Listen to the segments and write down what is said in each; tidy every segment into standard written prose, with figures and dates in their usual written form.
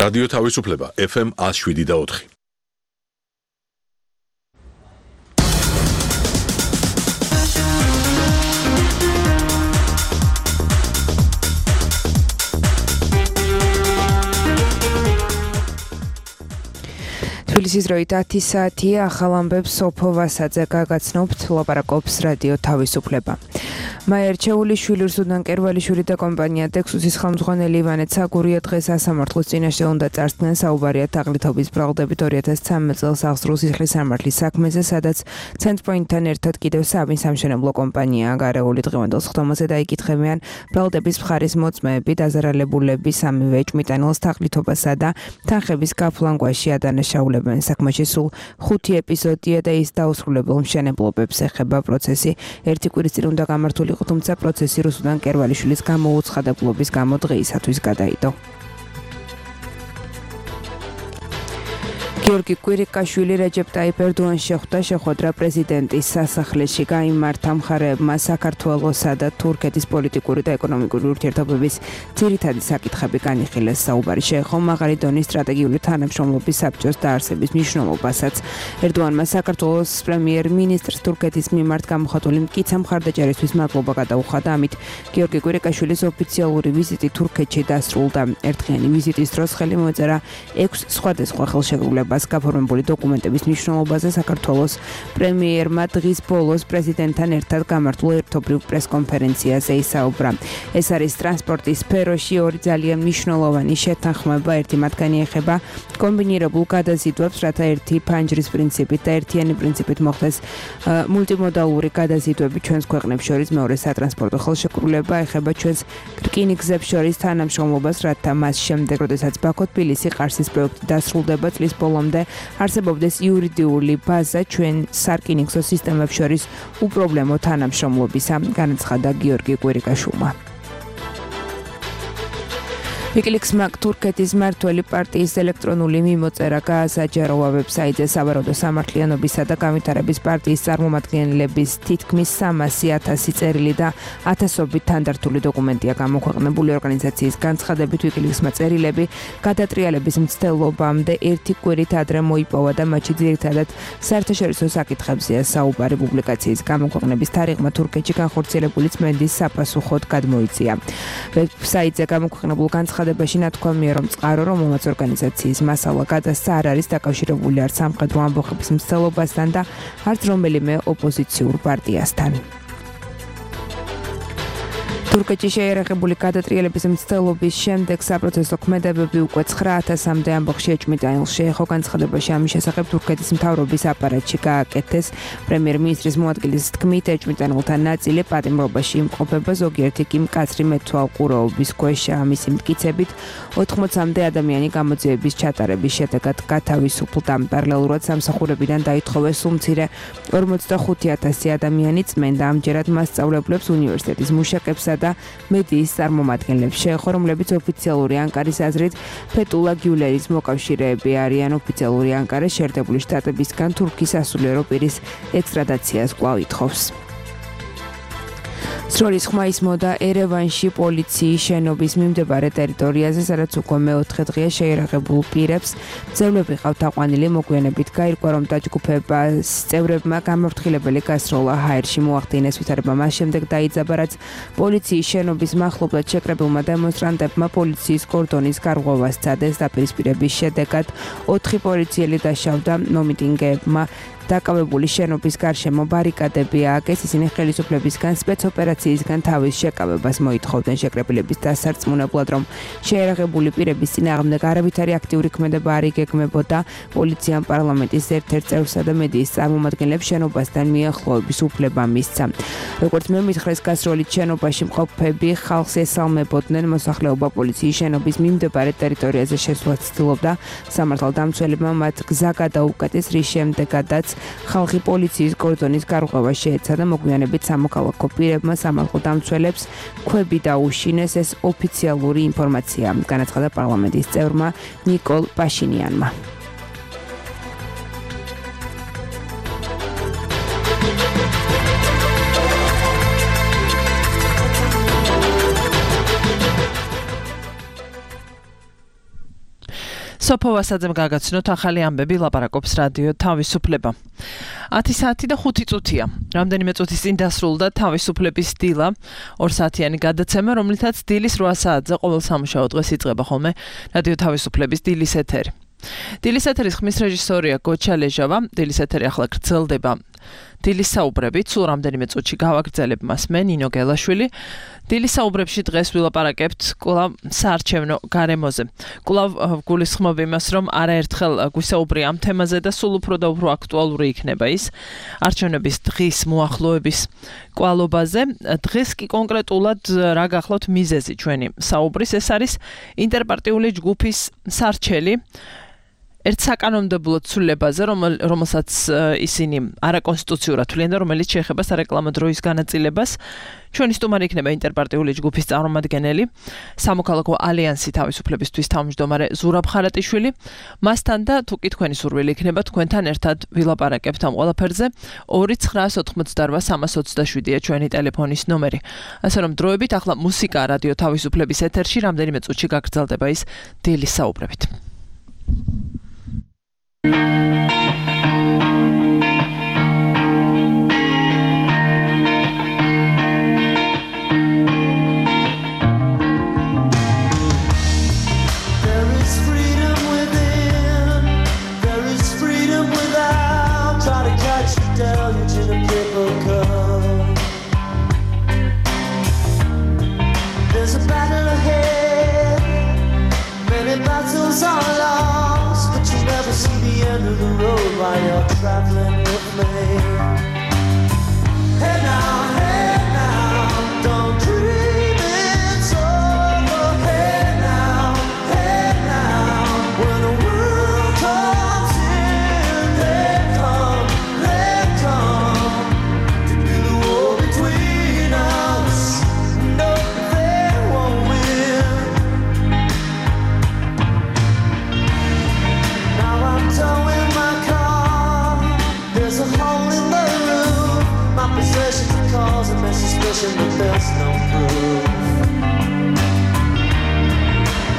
რადიო თავისუფლება FM 107.4. თბილისის დროით 10 საათია, ახალ ამბებს სოფო ვასაძე გაგაცნობთ, ლაპარაკობს რადიო თავისუფლება. მაია რჩეულიშვილი, რუსუდან კერვალიშვილი და კომპანია ტექსუსის ხელმძღვანელი ივანე ცაგურია დღეს სასამართლოს წინაშე უნდა წარსდგნენ საუბარია თაღლითობის ბრალდებით 2013 წელს აღსრულს სისხლის სამართლის საქმეზე, სადაც ცენტრპოინტთან ერთად კიდევ სამი სამშენებლო კომპანიაა გარეული. დღევანდელ სხდომაზე დაიკითხებიან ბრალდების მხარის მოწმეები, დაზარალებულები სამივე ეჭვმიტანილს თაღლითობასა და თანხების გაფლანგვაში ადანაშაულებენ. საქმეში სულ 5 ეპიზოდია და ის დაუსრულებელ მშენებლობებს ეხება. პროცესი ერთი კვირის წინ უნდა გამართულიყო, თუმცა პროცესი რუსუდან კერვალიშვილის გამოუცხადებლობის გამო დღეისათვის გადაიდო. გიორგი კვირიკაშვილი რეჯეპ ტაიპ ერდოანს შეხვდა შეხვედრა პრეზიდენტის სასახლეში. გაიმართა მხარეებმა საქართველოსა და თურქეთის პოლიტიკური და ეკონომიკური ურთიერთობების ძირითადი საკითხები განიხილეს. საუბარი შეეხო მაღალი დონის სტრატეგიული თანამშრომლობის საბჭოს დაარსების მნიშვნელობასაც. ერდოანმა საქართველოს პრემიერ-მინისტრს თურქეთის მიმართ გამოხატული მტკიცა მხარდაჭერისთვის მადლობა გადაუხადა. ამით გიორგი კვირიკაშვილის ოფიციალური ვიზიტი თურქეთში დასრულდა. ერთდღიანი ვიზიტის დროს ხელი მოეწერა 6 სხვადასხვა ხელშეკრულებას. გაფორმებული დოკუმენტების მნიშვნელობაზე საქართველოს პრემიერმა დღის ბოლოს პრეზიდენტთან ერთად გამართულ ერთობრივ პრესკონფერენციაზე ისაუბრა. ეს არის ტრანსპორტის სფეროში ორი ძალიან მნიშვნელოვანი შეთანხმება. ერთი მათგანი ეხება კომბინირებულ გადაზიდვებს, რათა ერთი ფანჯრის პრინციპით და ერთიანი პრინციპით მოხდეს მულტიმოდალური გადაზიდვები ჩვენს ქვეყნებს შორის. მეორე სატრანსპორტო ხელშეკრულება ეხება ჩვენს რკინიგზებს შორის თანამშრომლობას, რათა მას შემდეგ, როდესაც ბაქო-თბილისი ყარსის პროექტი დასრულდება წლის ბოლომდე არსებობდეს იურიდიული ბაზა ჩვენ სარკინიგზო სისტემებს შორის უპრობლემო თანამშრომლობისა, განაცხადა გიორგი კვირიკაშვილმა. ვიკილიქსმა თურქეთის მმართველი პარტიის ელექტრონული მიმოწერა გაასაჯაროვა ვებსაიტზე. სავარაუდო სამართლიანობისა და განვითარების პარტიის წარმომადგენლების თითქმის 300,000 წერილი და ათასობით თანდართული დოკუმენტია გამოქვეყნებული. ორგანიზაციის განცხადებით ვიკილიქსმა წერილები გადატრიალების მცდელობამდე ერთი კვირით ადრე მოიპოვა და მათში ძირითადად საერთაშორისო საკითხებზეა საუბარი. პუბლიკაციის გამოქვეყნების თარიღმა თურქეთში განხორციელებული წმენდის საპასუხოდ გადმოიწია. ვებსაიტზე გამოქვეყნებულ განცხადებაში ნათქვამია, რომ წყარო, რომელმაც ორგანიზაციის მასალა გადასცა, არ არის დაკავშირებული არც სამხედრო ამბოხების მცდელობასთან და არც რომელიმე ოპოზიციურ პარტიასთან. თურქეთში შეიარაღებული გადატრიალების მცდელობის შემდეგ საპროცესო ქმედებები უკვე 9,000-მდე ამბოხში ეჭვმიტანილს შეეხო. განცხადებაში ამის შესახებ თურქეთის მთავრობის აპარატში გააკეთეს. პრემიერ-მინისტრის მოადგილის თქმით, ეჭვმიტანილთა ნაწილი პატიმრობაში იმყოფება, ზოგიერთი კი მკაცრი მეთვალყურეობის ქვეშ. ამისი მტკიცებით 80-მდე ადამიანი გამოძიების ჩატარების შედეგად გათავისუფლდა. პარალელურად სამსახურებიდან დაითხოვეს სულ მცირე 45,000 ადამიანი წმენდა. ამჯერად მასწავლებლებს, უნივერსიტეტის მუშაკებსა და მედიის წარმომადგენლებს შეეხო, რომლებიც ოფიციალური ანკარის აზრით ფეტულა გიულენის მოკავშირეები არიან. ოფიციალური ანკარა შეერთებული შტატებისგან თურქის სასულიერო პირის ექსტრადაციას კვლავ ითხოვს. სროლის ხმა ისმოდა ერევანში პოლიციის შენობის მიმდებარე ტერიტორიაზე, სადაც უკვე მეოთხე დღეა შეიარაღებულ პირებს ძევლები ყავთ აყვანილი. მოგვიანებით გაირკვა, რომ დაჯგუფებას წევრებმა გამაფრთხილებელი გასროლა ჰაერში მოახდინეს. ვითარება მას შემდეგ დაიძაბა, რაც პოლიციის შენობის მახლობლად შეკრებილმა დემონსტრანტებმა პოლიციის კორდონის გარღვევა სცადეს. დაპირისპირების შედეგად 4 პოლიციელი დაშავდა. მომიტინგეებმა დაკავებული შენობის გარშემო ბარიკადები ააგეს. ისინი ხელისუფლებისგან სპეცოპერაციისგან თავის შეკავებას მოითხოვდნენ. შეკრებილების დასარწმუნებლად, რომ შეიარაღებული პირების წინააღმდეგ არავითარი აქტიური ქმედება არ იგეგმებოდა, პოლიციამ პარლამენტის ერთ-ერთ წევრსა და მედიის წარმომადგენლებს შენობასთან მიახლოების უფლება მისცა. როგორც მემითხრეს, გასროლით შენობაში მყოფები ხალხს ესალმებოდნენ. მოსახლეობა პოლიციის შენობის მიმდებარე ტერიტორიაზე შესვლას ცდილობდა. სამართალდამცველებმა მათ გზა გადაუკეტეს, რის შემდეგაც ხალხი პოლიციის კორდონის გარღვევა შეეცადა. მოგვიანებით სამოქალაქო პირებმა სამართალდამცველებს ქვები დაუშინეს. ეს ოფიციალური ინფორმაცია, განაცხადა პარლამენტის წევრმა ნიკოლ პაშინიანმა. სოფო ვასაძემ გაგაცნოთ ახალი ამბები, ლაპარაკობს რადიო თავისუფლება. 10 საათი და 5 წუთია. რამდენიმე წუთის წინ დასრულდა თავისუფლების დილა, 2 საათიანი გადაცემა, რომლითაც დილის 8 საათზე ყოველ სამუშაო დღეს იწყება ხოლმე რადიო თავისუფლების დილის ეთერი. დილის ეთერის ხმის რეჟისორია გოჩა ლეჟავა, დილის ეთერი ახლა გრძელდება. დილის საუბრებით სულ რამდენიმე წუთში გავაგრძელებ მას მე ნინო გელაშვილი. დილის საუბრებში დღეს ვილაპარაკებთ კვლავ საარჩევნო გარემოზე. კვლავ გულისხმობ იმას, რომ არაერთხელ გვისაუბრია ამ თემაზე და სულ უფრო და უფრო აქტუალური იქნება ის არჩევნების დღის მოახლოების კვალობაზე. დღეს კი კონკრეტულად რა გახლავთ მიზეზი ჩვენი საუბრის, ეს არის ინტერპარტიული ჯგუფის სარჩელი ერთ საკანონმდებლო ცვლილებაზე, რომელსაც ისინი არაკონსტიტუციურად თვლიან და რომელიც შეეხება სარეკლამო დროის განაწილებას. ჩვენი სტუმარი იქნება ინტერპარტიული ჯგუფის წარმომადგენელი, სამოქალაქო ალიანსი თავისუფლებისთვის თავმჯდომარე ზურაბ ხარატიშვილი. მასთან და თუ კი თქვენი სურვილი იქნება, თქვენთან ერთად ვილაპარაკებთ ამ ყველაფერზე. 2988327-ია ჩვენი ტელეფონის ნომერი. ასე რომ დროებით ახლა მუსიკა რადიო თავისუფლების ეთერში, რამდენიმე წუთში გაგრძელდება ის დილის საუბრებით. While you're traveling with me. Hey now, don't dream it's over. Hey now, when the world comes in, they come to do the war between us. No, they won't win. Now I'm towing my car. There's a hole in the roof. My possessions are causing me suspicion, but there's no proof.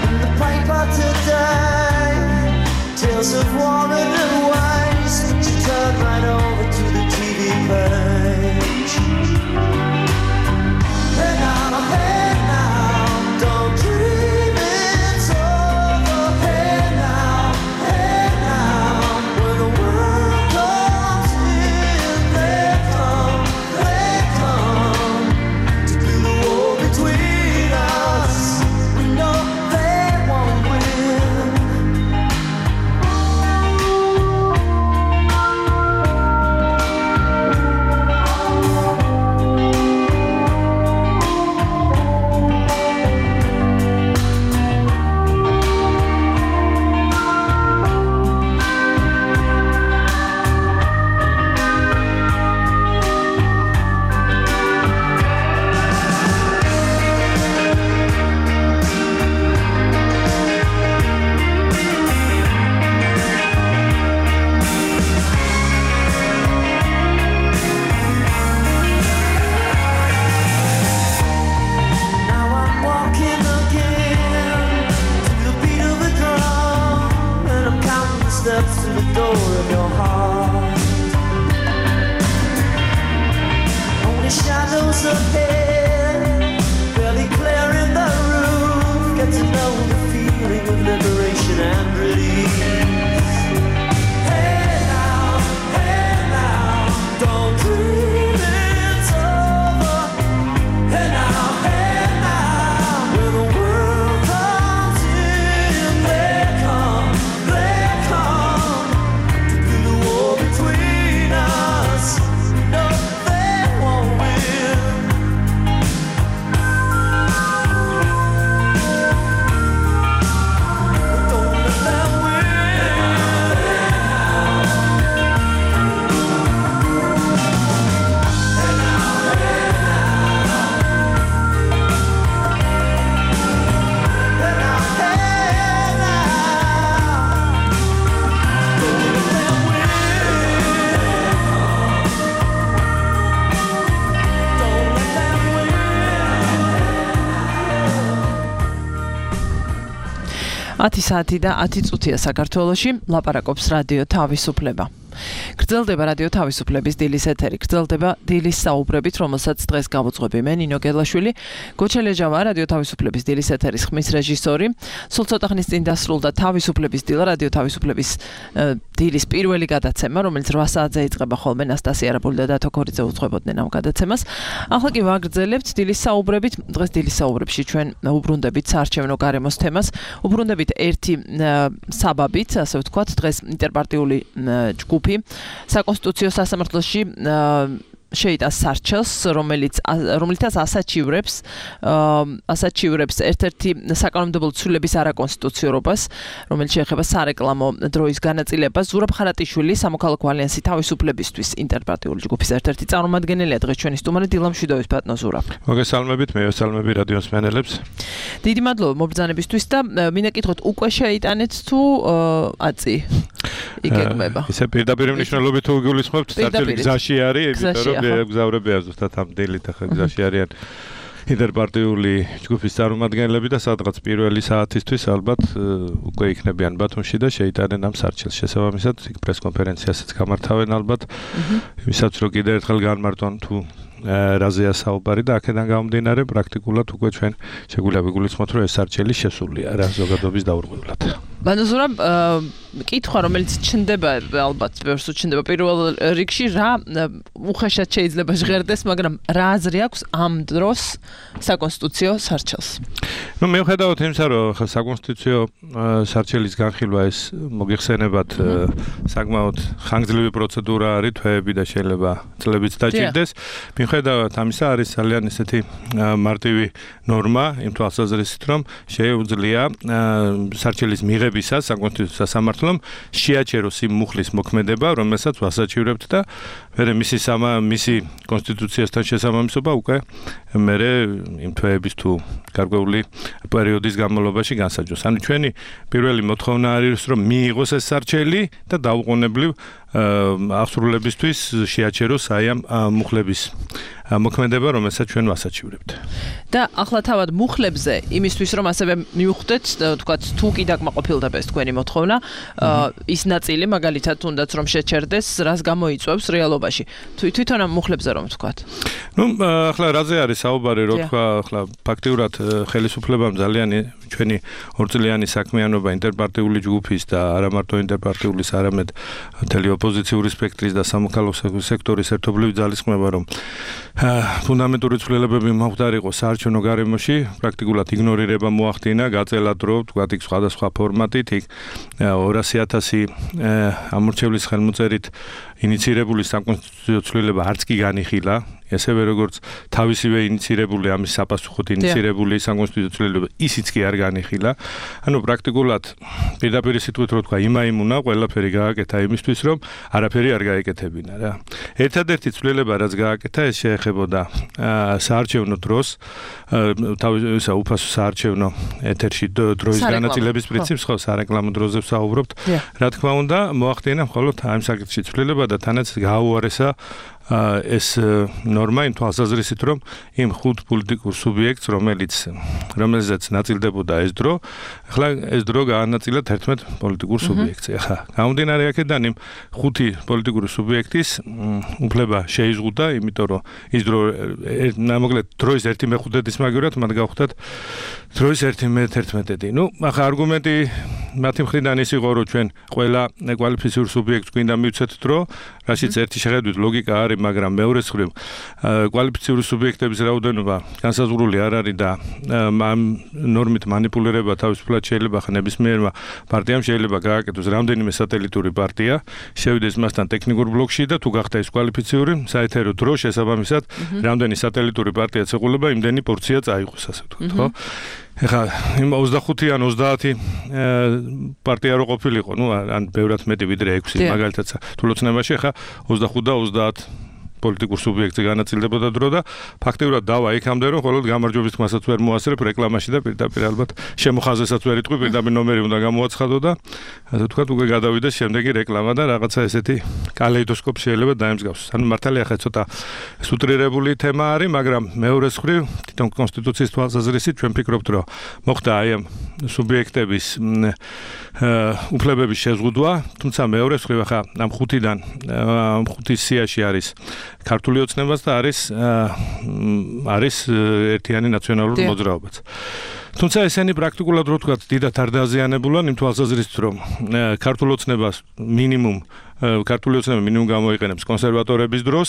In the paper today, tales of war and waste, but you turn right over to the TV page. Hey now, don't dream it's over. Hey now, when the world comes in, they come to do the war between us. We know they won't win. Now I'm walking again to the beat of a drum, and I'm counting the steps to the door of your heart. Only shadows ahead, barely clearing the roof. Get to know the feeling of liberation and release. Hey now, don't dream it's over. Hey now, when the world comes in, they come to do the war between us. No, they won't win. 10 საათი და 10 წუთია საქართველოში, ლაპარაკობს რადიო თავისუფლება. გრძელდება რადიო თავისუფლების დილის ეთერი, გრძელდება დილის საუბრებით, რომელსაც დღეს გავუძღვები მე ნინო გელაშვილი, გოჩელეჯავა რადიო თავისუფლების დილის ეთერის ხმის რეჟისორი. სულ ცოტა ხნის წინ დასრულდა თავისუფლების დილა, რადიო თავისუფლების დილის პირველი გადაცემა, რომელიც 8 საათზე იწყება ხოლმე ნასტასია არაბული და დათო ქორიძე უძღვებოდნენ ამ გადაცემას. ახლა კი ვაგრძელებთ დილის საუბრებით. დღეს დილის საუბრებში ჩვენ უბრუნდებით საარჩევნო გარემოს თემას, უბრუნდებით ერთი საბაბით, ასე ვთქვათ, დღეს ინტერპარტიული ჯგუფი საკონსტიტუციო სასამართლოში შეიტანს სარჩელს, რომელიცაც ასაჩივრებს ერთ-ერთი საკანონმდებლო ცვლილების არაკონსტიტუციურობას, რომელიც შეეხება სარეკლამო დროის განაწილებას. ზურაბ ხარატიშვილი, სამოქალაქო ალიანსი თავისუფლებისთვის ინტერპარტიული ჯგუფის ერთ-ერთი წარმომადგენელია დღეს ჩვენი სტუმარი. დილა მშვიდობის ბატონო ზურაბ. მოგესალმებით, მე ვესალმები რადიოს მსმენელებს. დიდი მადლობა მობრძანებისთვის და მინდა გითხოთ, უკვე შეიტანეთ თუ აწი იგეგმება? ისე პირდაპირ მნიშვნელობით თუ გულისხმობთ, საერთოდ გზაში არის, იმიტომ რომ გზავრებია ზუსტად ამ დილით ახლა გზაში არიან ინტერპარტიული ჯგუფის წარმომადგენლები და სადღაც პირველი საათისთვის ალბათ უკვე იქნებიან ბათუმში და შეიტანენ ამ სარჩელს. შესაბამისად, იქ პრესკონფერენციასაც გამართავენ ალბათ, ვისაც რო კიდევ ერთხელ განმარტონ თუ რაზეა საუბარი და აქედან გამომდინარე პრაქტიკულად უკვე ჩვენ შეგვიძლია ვიგულისხმოთ, რომ ეს სარჩელი შესულია რა ზოგადობის დაურღვევლად. ბატონო ზურაბ, კითხვა რომელიც ჩნდება ალბათ ბევრს უჩნდება პირველ რიგში, რა უხეშად შეიძლება ჟღერდეს, მაგრამ რა აზრი აქვს ამ დროს საკონსტიტუციო სარჩელს? ნუ მიუხედავად იმისა, რომ საკონსტიტუციო სარჩელის განხილვა ეს მოგიხსენებათ საკმაოდ ხანგრძლივი პროცედურა არის, თვეები და შეიძლება წლებიც დაჭირდეს. მიუხედავად ამისა, არის ძალიან ესეთი მარტივი ნორმა იმ თვალსაზრისით, რომ შეუძლია სარჩელის მიღებისას საკონსტიტუციო სასამართლომ შეაჩეროს იმ მუხლის მოქმედება, რომელსაც ვასაჩივრებთ და მერე მისი კონსტიტუციასთან შესაბამისობა უკვე მერე იმ თვეების თუ გარკვეული პერიოდის განმავლობაში განსაჯოს. ანუ ჩვენი პირველი მოთხოვნა არის, რომ მიიღოს ეს სარჩელი და დაუყოვნებლივ აღსრულებისთვის შეაჩეროს აი ამ მუხლების მოქმედება, რომელსაც ჩვენ ვასაჩივრებთ. და ახლა თავად მუხლებზე იმისთვის რომ ასევე მივხვდეთ, თქვათ, თუ კი დაკმაყოფილდება ეს თქვენი მოთხოვნა, ის ნაწილი მაგალითად თუნდაც რომ შეჩერდეს, რას გამოიწვევს რეალობაში. თვითონ ამ მუხლებზე რომ თქვათ. ნუ ახლა რაზე არის საუბარი, რო თქვა, ახლა ფაქტიურად ხელისუფლებამ ძალიან ჩვენი ორწლიანი საქმიანობა ინტერპარტიული ჯგუფის და არა მარტო ინტერპარტიულის, არამედ მთელი ოპოზიციური სპექტრის და სამოქალაქო სექტორის ერთობლივი ძალისხმევა, რომ ფუნდამენტური ცვლილებები მომხდარიყო საარჩევნო გარემოში, პრაქტიკულად იგნორირება მოახდინა, გაწელა დრო, თქვათ, იქ სხვადასხვა ფორმატით, იქ 200,000 ამორჩევლის ხელმოწერით ინიცირებული საკონსტიტუციო ცვლილება არც კი განიხილა, ესევე როგორც თავისივე ინიცირებული ამის საპასუხოდ ინიცირებული საკონსტიტუციო ცვლილება ისიც კი არ განიხილა. ანუ პრაქტიკულად პირდაპირ სიტყვით რო თქვა, იმაიმუნა ყველაფერი გააკეთა იმისთვის, რომ არაფერი არ გაეკეთებინა რა. ერთადერთი ცვლილება რაც გააკეთა, ეს შეეხებოდა საარჩევნო დროს, თავისა უფასო საარჩევნო ეთერში დროის განაწილების პრინციპს, ხო, სარეკლამო დროზე ვსაუბრობთ. რა თქმა უნდა, მოახდინა მხოლოდ ამ საკითხში ცვლილება და თანაც გააუარესა ეს ნორმა იმ თვალსაზრისით, რომ იმ ხუთ პოლიტიკურ სუბიექტს, რომელზეც ნაწილდებოდა ეს დრო, ახლა ეს დრო გაანაწილა 11 პოლიტიკურ სუბიექტს. ახლა გამომდინარე აქედან იმ ხუთი პოლიტიკური სუბიექტის უფლება შეიზღუდა, იმიტომ რომ ის დრო მოკლედ დროის 1/5-ის მაგივრად მათ გავხდათ დროის 1/11. ნუ ახლა არგუმენტი მათი მხრიდან ის იყო, რომ ჩვენ ყველა კვალიფიციურ სუბიექტს გვინდა მივცეთ დრო, რაშიც ერთი შეხედვით ლოგიკა არის, მაგრამ მეორეს მხრივ კვალიფიციური სუბიექტების რაოდენობა განსაზღვრული არ არის და ამ ნორმით манипуლირება თავისუფლად შეიძლება ნებისმიერმა პარტიამ შეიძლება გააკეთოს რამდენიმე სატელიტური პარტია, შევიდეს მასთან ტექნიკურ ბლოკში და თუ გახდა ის კვალიფიციური, საეთერო დრო შესაბამისად რამდენი სატელიტური პარტია ეყოლება, იმდენი პორცია წაიღოს, ასე ვთქვათ, ხო? ეხლა იმ 25 ან 30 პარტია რო ყოფილიყო, ნუ ან ბევრად მეტი ვიდრე 6, მაგალითად თულოცნებაში, ეხლა 25 და 30 პოლიტიკურ სუბიექტზე განაწილდებოდა დრო და ფაქტიურად დავა იქამდე რომ მხოლოდ გამარჯვების თქმასაც ვერ მოასწრებ რეკლამაში და პირდაპირ ალბათ შემოხაზესაც ვერ იტყვი პირდაპირ ნომერი უნდა გამოაცხადო და ასე ვთქვათ უკვე გადავიდეს შემდეგი რეკლამა და რაღაცა ესეთი კალეიდოსკოპი შეიძლება დაემსგავსოს. ანუ მართალია ხა ცოტა სუტრირებული თემა არის, მაგრამ მეორეს მხრივ თვითონ კონსტიტუციის თვალსაზრისით ჩვენ ვფიქრობთ რომ მოხდა აი ამ სუბიექტების უფლებების შეზღუდვა, თუმცა მეორეს მხრივ ხა ამ ხუთიდან ხუთის სიაში არის ქართული ოცნებაც და არის ერთიანი ნაციონალური მოძრაობაც. თუმცა ესენი პრაქტიკულად რო ვთქვათ, დიდად არ დაზიანებულან იმ თვალსაზრისით რომ ქართული ოცნება მინიმუმ გამოიყენებს კონსერვატორების დროს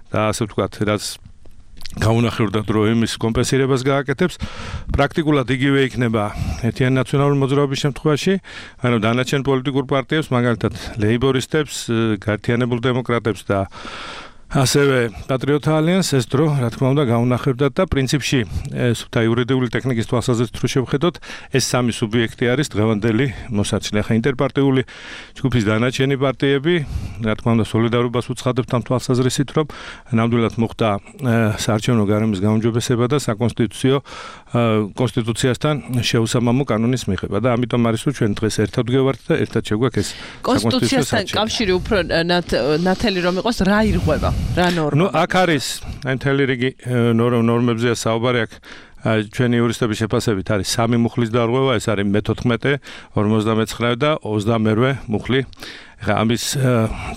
და ასე ვთქვათ, რაც გაუნახევრდა დრო იმის კომპენსირებას გააკეთებს, პრაქტიკულად იგივე იქნება ერთიანი ნაციონალური მოძრაობის შემთხვევაში, ანუ დანარჩენ პოლიტიკურ პარტიებს, მაგალითად ლეიბორისტებს, გაერთიანებულ დემოკრატებს და ასევე პატრიოტთა ალიანსს ეს დრო, რა თქმა უნდა, გაუნახევრდათ და პრინციპში სუფთა იურიდიული ტექნიკის თვალსაზრისით რო შევხედოთ, ეს სამი სუბიექტი არის დღევანდელი მოსარჩლე. ხა ინტერპარტიული ჯგუფის დანარჩენი პარტიები, რა თქმა უნდა, სოლიდარობას უცხადებთ ამ თვალსაზრისით, რომ ნამდვილად მოხდა საარჩევნო გარემოს გაუმჯობესება და საკონსტიტუციო კონსტიტუციასთან შეუსამამო კანონის მიღება და ამიტომ არის რომ ჩვენ დღეს ერთად ვგევართ და ერთად შეგვაქვს ეს კონსტიტუციასთან კავშირი უფრო ნათელი რომ იყოს რა ირღვევა რა ნორმა. ნუ აქ არის აი მთელი რიგი ნორმებზეა საუბარი აქ ჩვენი იურისტების შეფასებით არის სამი მუხლის დარღვევა, ეს არის მე-14, 59 და 28 მუხლი. ხა ამის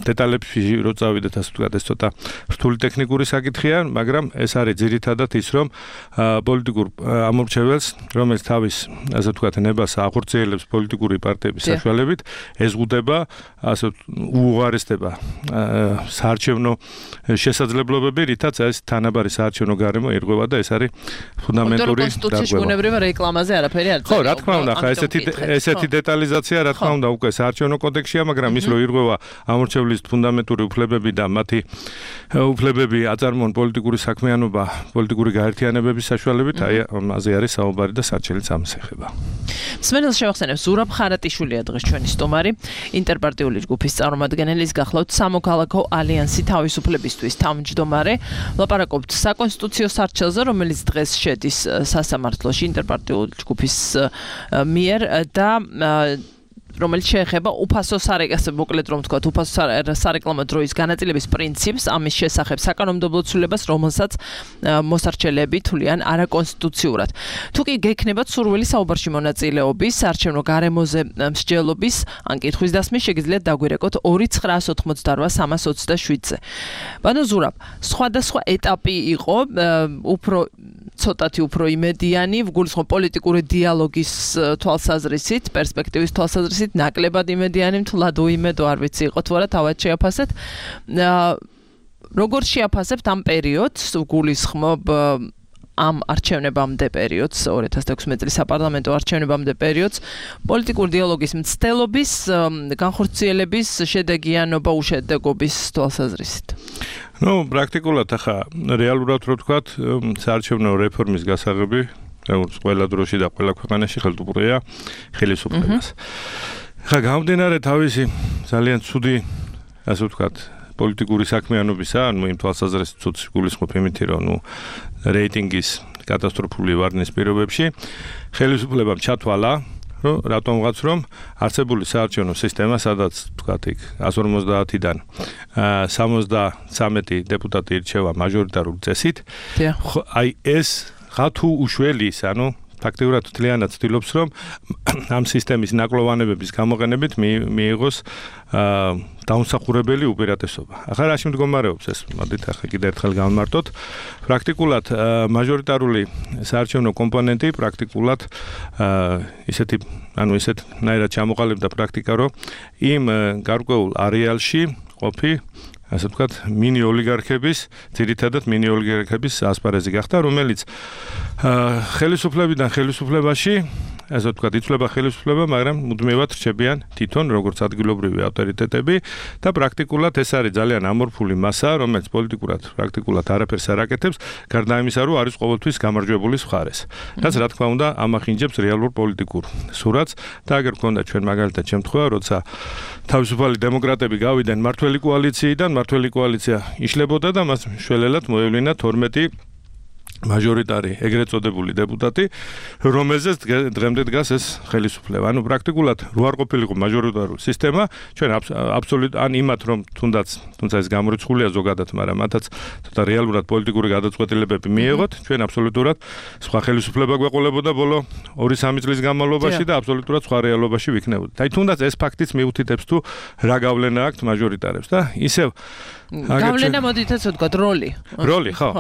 დეტალებში რო წავიდეთ, ასე ვთქვათ, ეს ცოტა რთული ტექნიკური საკითხია, მაგრამ ეს არის ძირითადად ის, რომ პოლიტიკურ ამორჩეველს, რომელიც თავის, ასე ვთქვათ, ნებას ახორციელებს პოლიტიკური პარტიების საშუალებით, ეზღუდება, ასე უუღარესდება საარჩევნო შესაძლებლობები, რითაც ეს თანაბარი საარჩევნო გარემო ირღვევა და ეს არის ფუნდამენტური კონსტიტუციაში უნებრივია რეკლამაზე არაფერი არ წერია. ხო, რა თქმა უნდა, ხა ესეთი დეტალიზაცია, რა თქმა უნდა, უკვე საარჩევნო კოდექსშია, მაგრამ ის რო ირღვევა ამორჩევლის ფუნდამენტური უფლებები და მათი უფლებები აწარმოონ პოლიტიკური საქმიანობა, პოლიტიკური გაერთიანებების საშუალებით, აი ამაზე არის საუბარი და საჩელიც ამას ეხება. მსმენელს შევახსენებ, ზურაბ ხარატიშვილია დღეს ჩვენი სტუმარი, ინტერპარტიული ჯგუფის წარმომადგენელი, გახლავთ სამოქალაქო ალიანსი თავისუფლებისთვის თავმჯდომარე. ლაპარაკობთ საკონსტიტუციო სარჩელზე, რომელიც დღეს შედის სასამართლოში ინტერპარტიული ჯგუფის მიერ და რომელიც შეეხება უფასო მოკლედ რომ ვთქვათ, უფასო სარეკლამო დროის განაწილების პრინციპს, ამის შესახებ საკანონმდებლო ცვლილებას, რომელსაც მოსარჩელეები თვლიან არაკონსტიტუციურად. თუ კი გექნებათ სურვილი საუბარში მონაწილეობის, საარჩევნო გარემოზე მსჯელობის, ან კითხვის დასმის, შეგიძლიათ დაგვირეკოთ 2988327-ზე. ბანო ზურაბ, სხვადასხვა ეტაპი იყო, ცოტათი უფრო იმედიანი, ვგულისხმობ პოლიტიკური დიალოგის თვალსაზრისით, პერსპექტივის თვალსაზრისით, ნაკლებად იმედიანი, თლად უიმედო არ ვიცი იყო თუ არა, თავად შეაფასეთ. როგორ შეაფასებთ ამ პერიოდს, ვგულისხმობ ამ არჩევნებამდე პერიოდს, 2016 წლის საპარლამენტო არჩევნებამდე პერიოდს, პოლიტიკურ დიალოგის მცდელობის, განხორციელების, შედეგიანობა, უშედეგობის თვალსაზრისით. ნუ პრაქტიკულად ახლა რეალურად რო ვთქვათ, საარჩევნო რეფორმის გასაღები, როგორც ყველა დროში და ყველა ქვეყანაში ხელდუყრია ხელისუფლებას. ხა გამომდინარე თავისი ძალიან ცუდი, ასე ვთქვათ, პოლიტიკური საქმიანობისა, ანუ იმ თვალსაზრისით ცუდს გულისხმობ იმითი, რომ ნუ რეიტინგის კატასტროფული ვარდნის პირობებში ხელისუფლებამ ჩათვალა, რომ რატომღაც რომ არსებული საარჩევნო სისტემა, სადაც ვთქვათ, იქ 150-დან 73 დეპუტატი ირჩევა მაჟორიტარული წესით, აი ეს ხა თუ უშველის, ანუ ფაქტიურად თლიანად ცდილობს, რომ ამ სისტემის ნაკლოვანებების გამოყენებით მიიღოს დაუმსახურებელი უპირატესობა. ახლა რაში მდგომარეობს ეს? მოდით ახლა კიდევ ერთხელ გავმარტოთ. პრაქტიკულად მაჟორიტარული საარჩევნო კომპონენტი პრაქტიკულად ისეთნაირად ჩამოყალიბდა პრაქტიკა, რომ იმ გარკვეულ არეალში ყოფი, ასე ვთქვათ, მინი ოლიგარქების, ძირითადად მინი ოლიგარქების ასპარეზი გახდა, რომელიც ხელისუფლებიდან ხელისუფლებაში ასე ვთქვათ, იცვლება ხელისუფლება, მაგრამ მუდმივად რჩებიან თვითონ როგორც ადგილობრივი ავტორიტეტები და პრაქტიკულად ეს არის ძალიან ამორფული მასა, რომელიც პოლიტიკურად პრაქტიკულად არაფერს არ აკეთებს, გარდა იმისა, რომ არის ყოველთვის გამარჯვებულის მხარეს. რაც რა თქმა უნდა, ამახინჯებს რეალურ პოლიტიკურ სურათს და აგერ გქონდა ჩვენ მაგალითად შემთხვევა, როცა თავისუფალი დემოკრატები გავიდნენ მართველი კოალიციიდან, მართველი კოალიცია იშლებოდა და მას მშველელად მოევლინა 12 მაჟორიტარი ეგრეთ წოდებული დეპუტატი, რომელზეც დღემდე დგას ეს ხელისუფლება. ანუ პრაქტიკულად რო არ ყოფილიყო მაჟორიტარული სისტემა, ჩვენ აბსოლუტურად ან იმათ რომ თუნდაც ეს გამორიცხულია ზოგადად, მაგრამ მათაც ცოტა რეალურად პოლიტიკური გადაწყვეტილებები მიიღოთ, ჩვენ აბსოლუტურად სხვა ხელისუფლება გვეყოლებოდა ბოლო 2-3 წლის განმავლობაში და აბსოლუტურად სხვა რეალობაში ვიქნებოდით. აი თუნდაც ეს ფაქტიც მიუთითებს თუ რა გავლენა აქვს მაჟორიტარებს და ისევ გავლენა მოდით ასე ვთქვათ, როლი, ხო,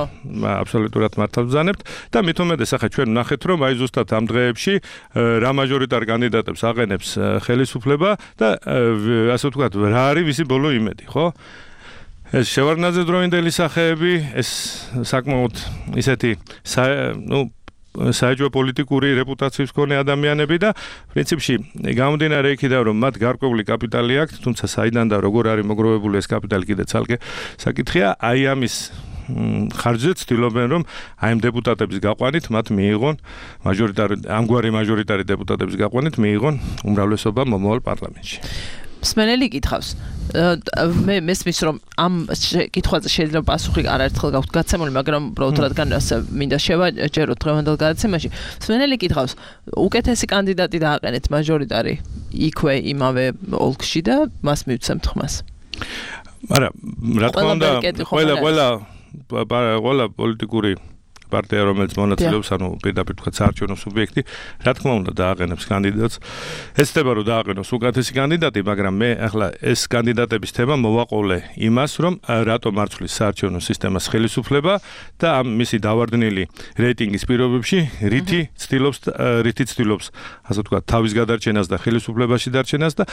აბსოლუტურად მართალ ვზანებთ და მით უმეტეს ახლა ჩვენ ვნახეთ რომ აი ზუსტად ამ დღეებში რა მაჟორიტარ კანდიდატებს აყენებს ხელისუფლება და ასე ვთქვათ, რა არის ვისი ბოლო იმედი, ხო? ეს შევარდნაძე დროინდელი სახეები, ეს საკმაოდ ისეთი საეჭვო პოლიტიკური რეპუტაციის მქონე ადამიანები და პრინციპში გამომდინარე იქიდან რომ მათ გარკვეული კაპიტალი აქვთ, თუმცა საიდან და როგორ არის მოგროვებული ეს კაპიტალი კიდე ცალკე საკითხია, აი ამის ხარჯზე ცდილობენ რომ აი ამ დეპუტატების გაყვანით მათ მიიღონ ამგვარი მაჟორიტარი დეპუტატების გაყვანით მიიღონ უმრავლესობა მომავალ პარლამენტში. მსმენელი კითხავს მე მესმის რომ ამ კითხვაზე შეიძლება პასუხი არაერთხელ გაქვთ გაცემული, მაგრამ უბრალოდ რადგან მინდა შევაჯეროთ დღევანდელ გადაცემაში. მსმენელი კითხავს, უკეთესი კანდიდატი დააყენეთ მაჟორიტარი იქვე იმავე ოლქში და მას მივცემთ ხმას. მაგრამ რა თქმა უნდა, ყველა პოლიტიკური პარტია, რომელიც მონაწილეობს, ანუ პირდაპირ თქვა საარჩევნო სუბიექტი, რა თქმა უნდა დააყენებს კანდიდატს. ეცდება რომ დააყენოს უკეთესი კანდიდატი, მაგრამ მე ახლა ეს კანდიდატების თემა მოვაყოლე იმას, რომ რატომ არცვლის საარჩევნო სისტემას ხელისუფლება და ამ მისი დავარდნილი რეიტინგის პირობებში რითი ცდილობს, ასე ვთქვათ, თავის გადარჩენას და ხელისუფლებაში დარჩენას და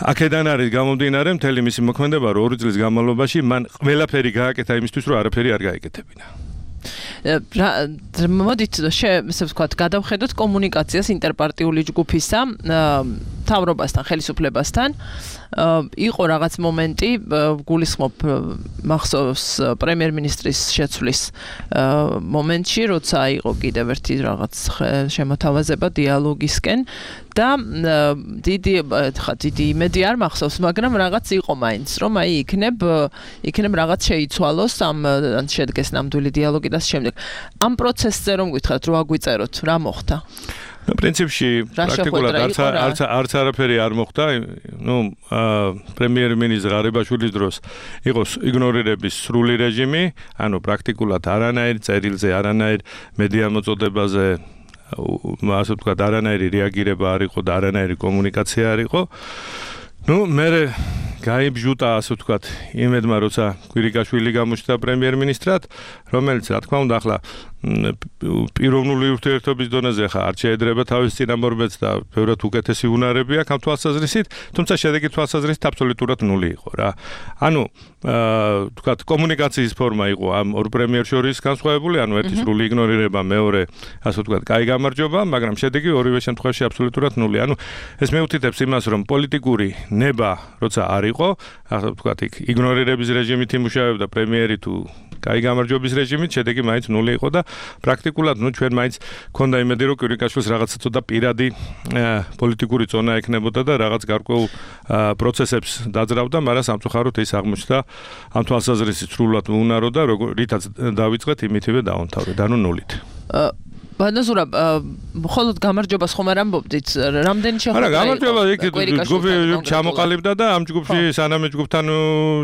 აქედან არის გამომდინარე მთელი მისი მოქმედება, რომ 2 წლის განმავლობაში მან ყველაფერი გააკეთა იმისთვის, რომ არაფერი არ გაეკეთებინა. მოდით ესე ვთქვათ, გადავხედოთ კომუნიკაციას ინტერპარტიული ჯგუფისა მთავრობასთან, ხელისუფლებასთან. იყო რაღაც მომენტი, გულისხმობ მახსოვს პრემიერ-მინისტრის შეცვლის მომენტში, როცა იყო კიდევ ერთი რაღაც შემოთავაზება დიალოგისკენ და დიდი იმედი არ მახსოვს, მაგრამ რაღაც იყო მაინც, რომ აი იქნებ რაღაც შეიცვალოს ამ შედგეს ნამდვილი დიალოგი და შემდეგ. ამ პროცესზე რომ გითხრათ, რო აგვიწეროთ, რა მოხდა? პრინციპში პრაქტიკულად არც არაფერი არ მოხდა. პრემიერ-მინისტრის ღარიბაშვილის დროს იყო იგნორირების სრული რეჟიმი, ანუ პრაქტიკულად არანაირ წერილზე, არანაირ მედია მოწოდებაზე, ასე ვთქვათ, არანაირი რეაგირება არ იყო და არანაირი კომუნიკაცია არ იყო. მე გაიბჟუტა, ასე ვთქვათ, იმედმა, როცა კვირიკაშვილი გამოჩნდა პრემიერ-მინისტრად, რომელიც, რა თქმა უნდა, ახლა პიროვნული ურთიერთობის დონეზე ახლა არ შეედრება თავის წინამორბედს და ბევრად უკეთესი უნარები აქვს ამ თვალსაზრისით, თუმცა შედეგი თვალსაზრისით აბსოლუტურად ნული იყო რა. ანუ ვთქვათ, კომუნიკაციის ფორმა იყო ამ ორ პრემიერს შორის განსხვავებული, ანუ ერთი სრული იგნორირება, მეორე, ასე ვთქვათ, კაი გამარჯვება, მაგრამ შედეგი ორივე შემთხვევაში აბსოლუტურად ნული. ანუ ეს მეუთითებს იმას, რომ პოლიტიკური ნება, როცა არ იყო, ასე ვთქვათ, იგნორირების რეჟიმით იმუშავებდა პრემიერი თუ კაი გამარჯვების რეჟიმით, შედეგი მაინც ნული იყო და პრაქტიკულად ჩვენ მაინც ქონდა იმედი, რომ კვირიკაშვილს რაღაცა ცოტა პირადი პოლიტიკური ზონა ექნებოდა და რაღაც გარკვეულ პროცესებს დაძრავდა, მაგრამ სამწუხაროდ ის აღმოჩნდა ამ თვალსაზრისით სრულად უნარო და რითაც დავიწყეთ, იმითივე დავამთავრეთ, ანუ ნულით. ბანაზურა, მხოლოდ გამარჯვებას ხომ არ ამბობდით? რამდენი შეხვედრა იყო? გამარჯვება იქ ჯგუფი ჩამოყალიბდა და ამ ჯგუფში სანამ ჯგუფთან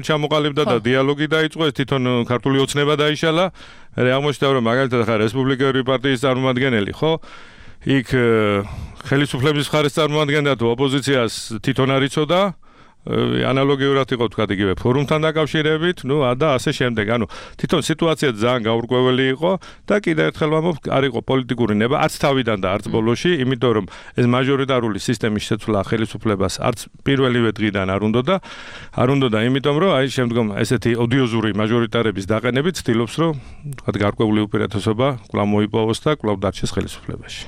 ჩამოყალიბდა და დიალოგი დაიწყო, ეს თვითონ ქართული ოცნება დაიშალა. მე აღმოჩნდა, რომ მაგალითად ახლა რესპუბლიკური პარტიის წარმომადგენელი, ხო? იქ ხელისუფლების მხარეს წარმოადგენდა თუ ოპოზიციას თვითონ არ იცოდა. ანალოგიურად იყო თქვა იგივე ფორუმთან დაკავშირებით, და ასე შემდეგ. ანუ თვითონ სიტუაცია ძალიან გაურკვეველი იყო და კიდევ ერთხელ ვამბობ, არ იყო პოლიტიკური ნება არც თავიდან და არც ბოლოში, იმიტომ რომ ეს მაჟორიტარული სისტემის შეცვლა ხელისუფლებას არც პირველივე დღიდან არ უნდა, იმიტომ რომ აი შემდგომ ესეთი ოდიოზური მაჟორიტარების დაყენებით ცდილობს, რომ თქვა გარკვეული უპირატესობა კვლავ მოიპოვოს და კვლავ დარჩეს ხელისუფლებაში.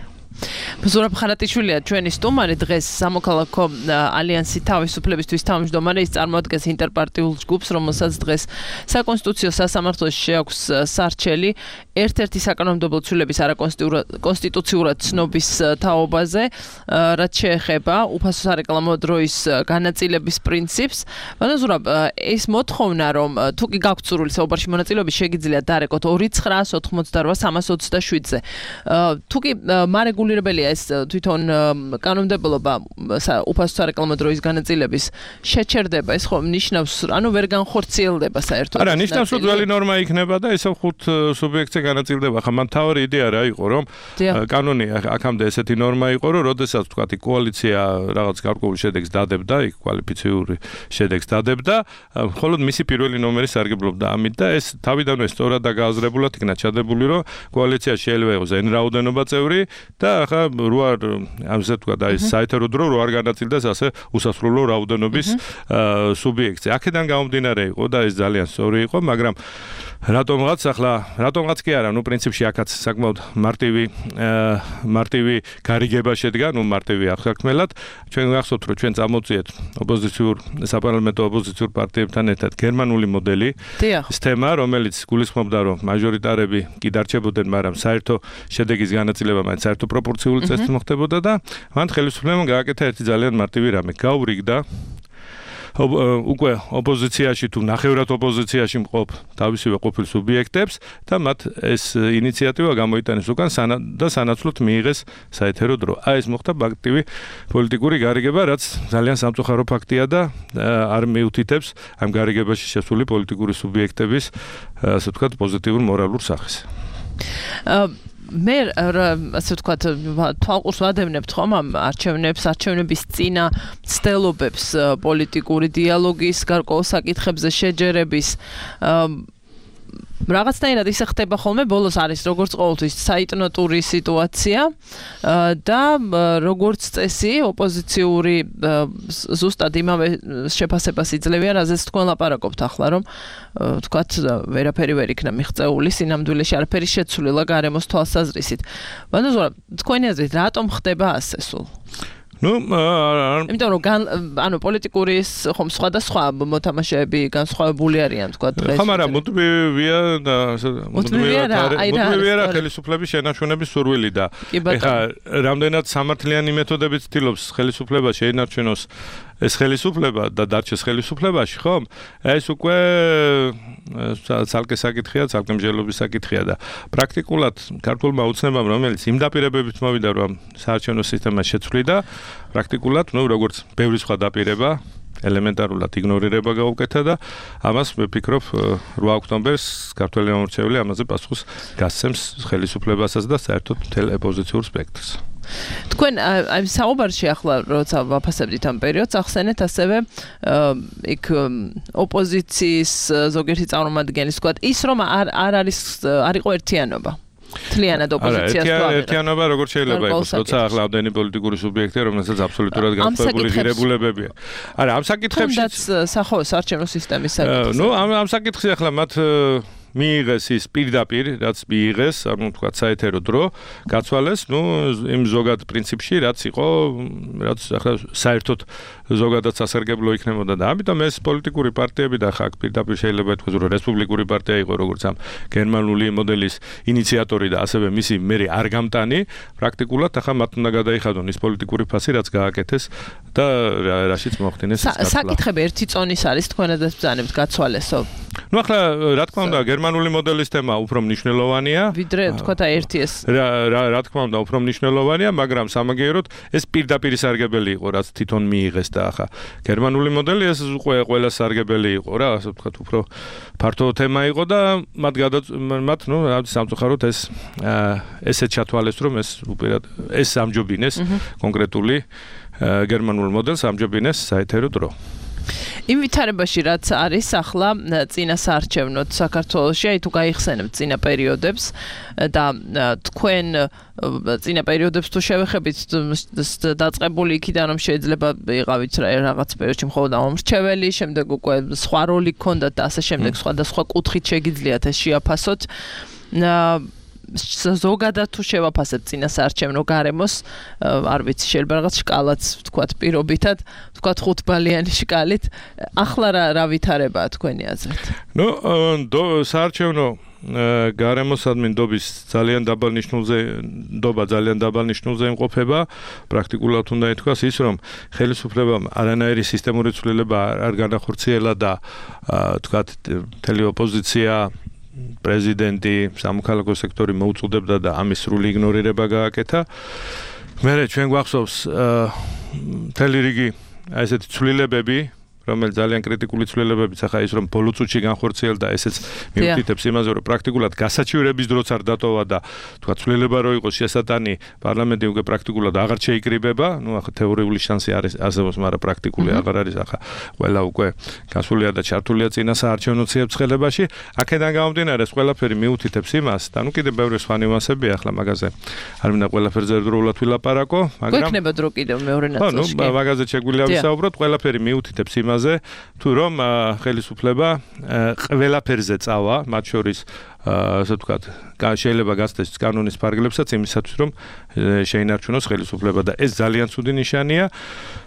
ზურაბ ხარატიშვილია ჩვენი სტუმარი დღეს სამოქალაქო ალიანსი თავისუფლებისთვის თავმჯდომარე ის წარმოადგენს ინტერპარტიულ ჯგუფს რომელსაც დღეს საკონსტიტუციო სასამართლოში შეაქვს სარჩელი ერთ-ერთი საკანონმდებლო ცვლილების არაკონსტიტუციურად ცნობის თაობაზე რაც შეეხება უფასო სარეკლამო დროის განაწილების პრინციპს. მაგრამ ზურაბ ეს მოთხოვნა რომ თუ კი გაქვთ სურვილი საუბარში მონაწილეობის შეგიძლიათ დარეკოთ 2988-327-ზე. თუ კი მარეგულირებელია ეს თვითონ კანონმდებლობა უფასო სარეკლამო დროის განაწილების შეჩერდება ეს ხომ ნიშნავს ანუ ვერ განხორციელდება საერთოდ. არა, ნიშნავს რომ ძველი ნორმა იქნება და ესე 5 სუბიექტზე განაწილდება. ხა მან თავი იდეა რა იყო რომ კანონი აქამდე ესეთი ნორმა იყო რომ როდესაც თქვა კოალიცია რაღაც გარკვეულ შედეგს დადებდა, იქ კვალიფიციური შედეგს დადებდა, მხოლოდ მისი პირველი ნომერი სარგებლობდა ამით და ეს თავიდანვე სწორად და გააზრებულად იქნა ჩადებული რომ კოალიცია შეიძლება იყოს n რაოდენობა წევრი და ახლა როარ ამზე თქვა და ეს საერთო დრო რო არ განაწილდეს ასე უსასრულო რაოდენობის სუბიექტზე. აქედან გამომდინარე იყო და ეს ძალიან სწორი იყო, მაგრამ რატომღაც კი არა, ნუ პრინციპში აქაც საკმაოდ მარტივი გარიგება შედგა, ნუ მარტივი აღსაქმელად. ჩვენ გახსოვთ რომ ჩვენ წამოვწიეთ საპარლამენტო ოპოზიციურ პარტიებთან ერთად გერმანული მოდელი სისტემა, რომელიც გულისხმობდა რომ მაჟორიტარები კი დარჩებოდნენ, მაგრამ საერთო შედეგის განაწილება მაინც საერთო პროპორციული წესით მოხდებოდა და მან ხელისუფლებამ გააკეთა ერთი ძალიან მარტივი რამე. გაურიგდა უკვე ოპოზიციაში თუ ნახევრად ოპოზიციაში მყოფ თავისივე ყოფილ სუბიექტებს და მათ ეს ინიციატივა გამოიტანეს უკან და სანაცვლოდ მიიღეს საეთერო დრო. ეს მოხდა აქტივი პოლიტიკური გარიგება, რაც ძალიან სამწუხარო ფაქტია და არ მიუთითებს ამ გარიგებაში შესული პოლიტიკური სუბიექტების ასე ვთქვათ პოზიტიურ მორალურ სახეს. მე ასე ვთქვათ თვალყურს ვადევნებთ ხომ ამ არჩევნების წინა ცდელობებს პოლიტიკური დიალოგის გარკვეულ საკითხებზე შეჯერების რაღაცნაირად ისე ხდება ხოლმე ბოლოს არის როგორც ყოველთვის საიტნოტური სიტუაცია და როგორც წესი ოპოზიციური ზუსტად იმავე შეფასებას იძლევიან, რაზეც თქვენ ლაპარაკობთ ახლა, რომ თქვათ ვერაფერი ვერ იქნა მიღწეული, სინამდვილეში არაფერი შეცვლილა გარემოს თვალსაზრისით. მაგრამ თქვენი აზრით რატომ ხდება ასე სულ? იმიტომ რომ ანუ პოლიტიკური ხომ სხვადასხვა მოთამაშეები განსხვავებული არიან თქვა დღეს. ხომ არა, მუდმივია და მუდმივია ხელისუფლების შენარჩუნების სურვილი და ეხლა რამდენად სამართლიანი მეთოდებით ცდილობს ხელისუფლება შეინარჩუნოს ეს ხელისუფლება და დარჩეს ხელისუფლებაში, ხომ? ეს უკვე ცალკე საკითხია, ცალკე მსჯელობის საკითხია და პრაქტიკულად ქართულმა უცნებამ, რომელიც იმ დაპირებებით მოვიდა, რომ საარჩევნო სისტემა შეცვლიდა, პრაქტიკულად, როგორც ბევრი სხვა დაპირება, ელემენტარულად იგნორირება გაუკეთა და ამას ვფიქრობ 8 ოქტომბერს ქართველი მომრჩეველი ამაზე პასუხს გასცემს ხელისუფლებასაც და საერთოდ მთელ ოპოზიციურ სპექტრს. თქვენ აი საუბარში ახლა როცა ვაფასებდით ამ პერიოდს ახსენეთ ასევე იქ ოპოზიციის ზოგიერთი წარმომადგენლის თქვა ის რომ არ იყო ერთიანობა თლიანად ოპოზიციას თუ აღარ ერთიანობა როგორ შეიძლება იყოს როცა ახლა ამდენი პოლიტიკური სუბიექტია რომელსაც აბსოლუტურად განსხვავებული ღირებულებებია. არა ამ საკითხებშიც სახოს არჩევნო სისტემის საკითხი. ამ საკითხში ახლა მათ მიიღეს ის პირდაპირ, რაც მიიღეს, ანუ თქვა საეთერო დრო, გაცვალეს, იმ ზოგად პრინციპში, რაც იყო, რაც ახლა საერთოდ ზოგადად სასარგებლო იქნებოდა და ამიტომ ეს პოლიტიკური პარტიები და ხა პირდაპირ შეიძლება ითქვას, რომ რესპუბლიკური პარტია იყო, როგორც ამ გერმანული მოდელის ინიციატორი და ასევე მისი მერი არ გამტანი, პრაქტიკულად ახლა მათ უნდა გადაიხადონ ის პოლიტიკური ფასი, რაც გააკეთეს და რაშიც მოახდინეს ეს გაცვლა. საკითხები ერთი წონის არის თქვენადაც ბრძანებთ გაცვალესო. ახლა რა თქმა უნდა გერმანული მოდელის თემა უფრო მნიშვნელოვანია. ვიდრე თქვა და ერთი ეს. რა თქმა უნდა უფრო მნიშვნელოვანია, მაგრამ სამაგიეროდ ეს პირდაპირ სარგებელი იყო, რაც თვითონ მიიღეს და ახლა გერმანული მოდელი ეს ყველა სარგებელი იყო რა, ასე ვთქვათ, უფრო ფართო თემა იყო და მათ სამწუხაროდ ესეც ჩათვალეს, რომ ეს ამჯობინეს კონკრეტული გერმანულ მოდელს ამჯობინეს საეთერო დრო. იმ ვითარებაში რაც არის ახლა წინა საარჩევნოდ საქართველოში, აი თუ გაიხსენებთ წინა პერიოდებს და თქვენ წინა პერიოდებს თუ შევეხებით დაწყებული იქიდან რომ შეიძლება იყავით რაღაც პერიოდში მხოლოდ ამომრჩეველი, შემდეგ უკვე სხვა როლი გქონდათ და ასე შემდეგ სხვადასხვა კუთხით შეგიძლიათ ეს შეაფასოთ. ზოგადად თუ შევაფასებთ წინასაარჩევნო გარემოს, არ ვიცი, შეიძლება რაღაც შკალაც ვთქვათ პირობითად, ვთქვათ 5 ბალიანი შკალით, ახლა რა ვითარებაა თქვენი აზრით? ნუ საარჩევნო გარემოსადმი ნდობა ძალიან დაბალ ნიშნულზე იმყოფება, პრაქტიკულად უნდა ითქვას ის, რომ ხელისუფლებამ არანაირი სისტემური ცვლილება არ განახორციელა და თქვათ მთელი ოპოზიცია, პრეზიდენტი, სამოქალაქო სექტორი მოუწოდებდა და ამის სრული იგნორირება გააკეთა. მერე ჩვენ გვახსოვს მთელი რიგი ესეთი ცვლილებები, რომელიც ძალიან კრიტიკული ცვლილებებიც ახლა ის რომ ბოლო წუთში განხორციელდა, ესეც მიუთითებს იმაზე, რომ პრაქტიკულად გასაჩივრების დროც არ დატოვა და თქვა ცვლილება რო იყოს შესატანი, პარლამენტი უკვე პრაქტიკულად აღარ შეიკრიბება, ნუ ახლა თეორიული შანსი არის არსებობს, მაგრამ პრაქტიკული აღარ არის, ახლა ყველა უკვე გასულია და ჩართულია წინა საარჩევნო ციებ-ცხელებაში. აქედან გამომდინარე, ყველაფერი მიუთითებს იმას და ნუ კიდევ ბევრი სხვა ნიუანსებია ახლა მაგაზე. არ მინდა ყველაფერზე ერთდროულად ვილაპარაკო, მაგრამ გვექნება დრო კიდევ მეორე ნაწილში. ნუ მაგაზე შეგვიძლია ვისაუბროთ, ყველაფერი მიუთითებს იმაზე, თუ რომ ხელისუფლება ყველაფერზე წავა, მათ შორის ასე ვთქვათ, შეიძლება გასცეს კანონის ფარგლებსაც იმისათვის, რომ შეინარჩუნოს ხელისუფლება და ეს ძალიან ცუდი ნიშანია.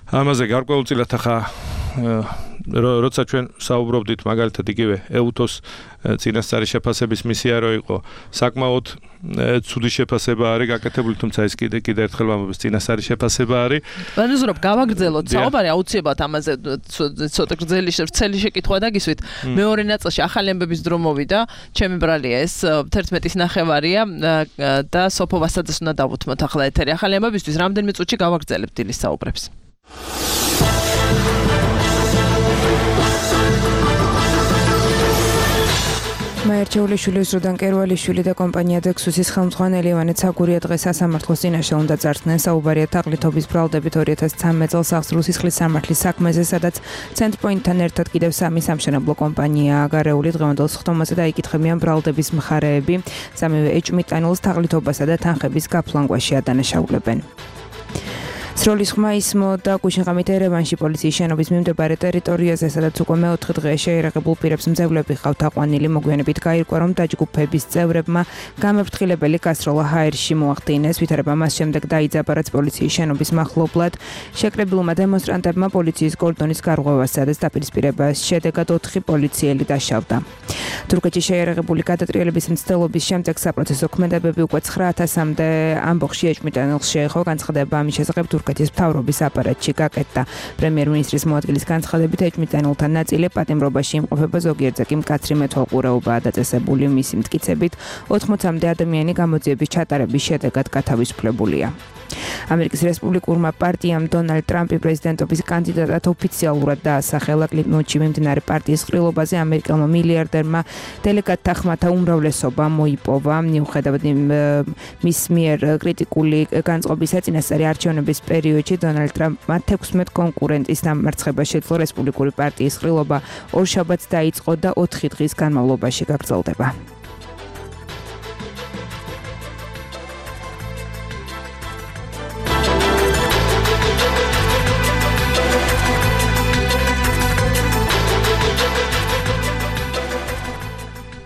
ამაზე გარკვეულწილად ახლა როცა ჩვენ საუბრობდით მაგალითად იგივე ეუთოს წინასწარი შეფასების მისია რო იყო, საკმაოდ ცუდი შეფასება არის გაკეთებული, თუმცა ეს კიდე ერთხელ ვამბობ, წინასწარი შეფასება არის. ვანუზრობ გავაგრძელოთ საუბარი აუცილებლად ამაზე ცოტა გრძელი შეკითხვა დაგისვით. მეორე ნაწილში ახალი ამბების დრო მოვიდა, ჩემი ბრალია ეს 11:30-ია და სოფო ვასაძეს უნდა დავუთმოთ ახლა ეთერი. ახალი ამბებისთვის რამდენიმე წუთში გავაგრძელებთ დილის საუბრებს. მაერჩეულიშვილი, ზრუდან კერვალიშვილი და კომპანია დექსუსის ხელმძღვანელი ივანე ცაგურია დღეს სასამართლოს წინაშე უნდა წარსდნენ. საუბარია თაღლითობის ბრალდებით 2013 წელს აღსრულის სისხლის სამართლის საქმეზე, სადაც ცენტრპოინტთან ერთად კიდევ 3 სამშენებლო კომპანიაა გარეული. დღევანდელ სხდომაზე დაიკითხებიან ბრალდების მხარეები, სამივე ეჭვმიტანილს თაღლითობასა და თანხების გაფლანგვაში ადანაშაულებენ. სროლის ხმა ისმო და გუშინღამით ერევანში პოლიციის შენობის მიმდებარე ტერიტორიაზე, სადაც უკვე მეოთხე დღეა შეერაღებულ პირებს მძევლები ყავთ აყვანილი. მოგვიანებით გაირკვა, რომ დაჯგუფების წევრებმა გამეფრთხილებელი გასროლა ჰაერში მოახდინეს. ვითარება მას შემდეგ დაიძაბა, რაც პოლიციის შენობის მახლობლად შეკრებილმა დემონსტრანტებმა პოლიციის კორდონის გარღვევას სადაც დაპირისპირებას შედეგად 4 პოლიციელი დაშავდა. თურქეთში შეერაღებული გადატრიალების მცდელობის შემდეგ საპროცესო ქმედებები უკვე 9000-მდე ამბოხში ეჭვმიტანილს შეეხო. განცხადება ამის შესახებ თურქეთის მთავრობის აპარატში გაკეთდა. პრემიერ-მინისტრის მოადგილის განცხადებით ეჭვმიტანილთა ნაწილი პატიმრობაში იმყოფება, ზოგიერთზე კი მკაცრი მეთვალყურეობაა დაწესებული. მისი მტკიცებით 80-მდე ადამიანი გამოძიების ჩატარების შედეგად გათავისუფლებულია. ამერიკის რესპუბლიკურმა პარტიამ დონალდ ტრამპი პრეზიდენტობის კანდიდატად ოფიციალურად დაასახელა. კლინტონში მიმდინარე პარტიის ყრილობაზე ამერიკელმა მილიარდერმა დელეგატთა ხმათა უმრავლესობა მოიპოვა. მიუხედავად მის მიერ კრიტიკული განწყობისა, წინასწარი არჩევნების პერიოდში დონალდ ტრამპმა 16 კონკურენტის დამარცხება შეძლო. რესპუბლიკური პარტიის ყრილობა ორშაბათს დაიწყო და 4 დღის განმავლობაში გაგრძელდება.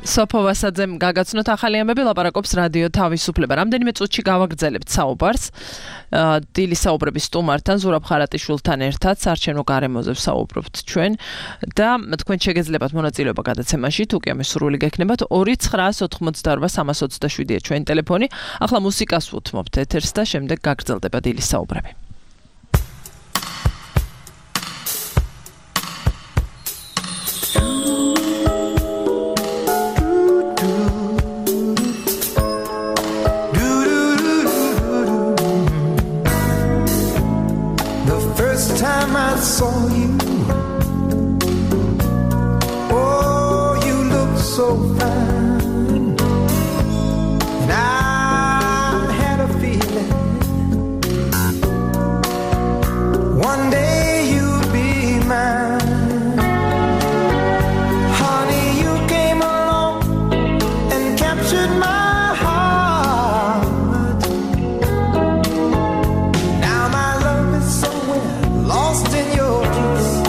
სოფო ვასაძემ გაგაცნოთ ახალი ამბები, ლაპარაკობს რადიო თავისუფლება. რამდენიმე წუთში გავაგრძელებთ საუბარს დილის საუბრების სტუმართან, ზურაბ ხარატიშვილთან ერთად საარჩევნო გარემოზე ვსაუბრობთ ჩვენ და თქვენ შეგეძლებათ მონაწილეობა გადაცემაში, თუ კი ამის სრული გექნებათ 2988327-ია ჩვენი ტელეფონი. ახლა მუსიკას ვუთმობთ ეთერს და შემდეგ გაგრძელდება დილის საუბრები. Saw you. Oh, you look so fine. And I had a feeling one day you'd be mine. Honey, you came along and captured my heart. Now my love is somewhere lost in your kiss.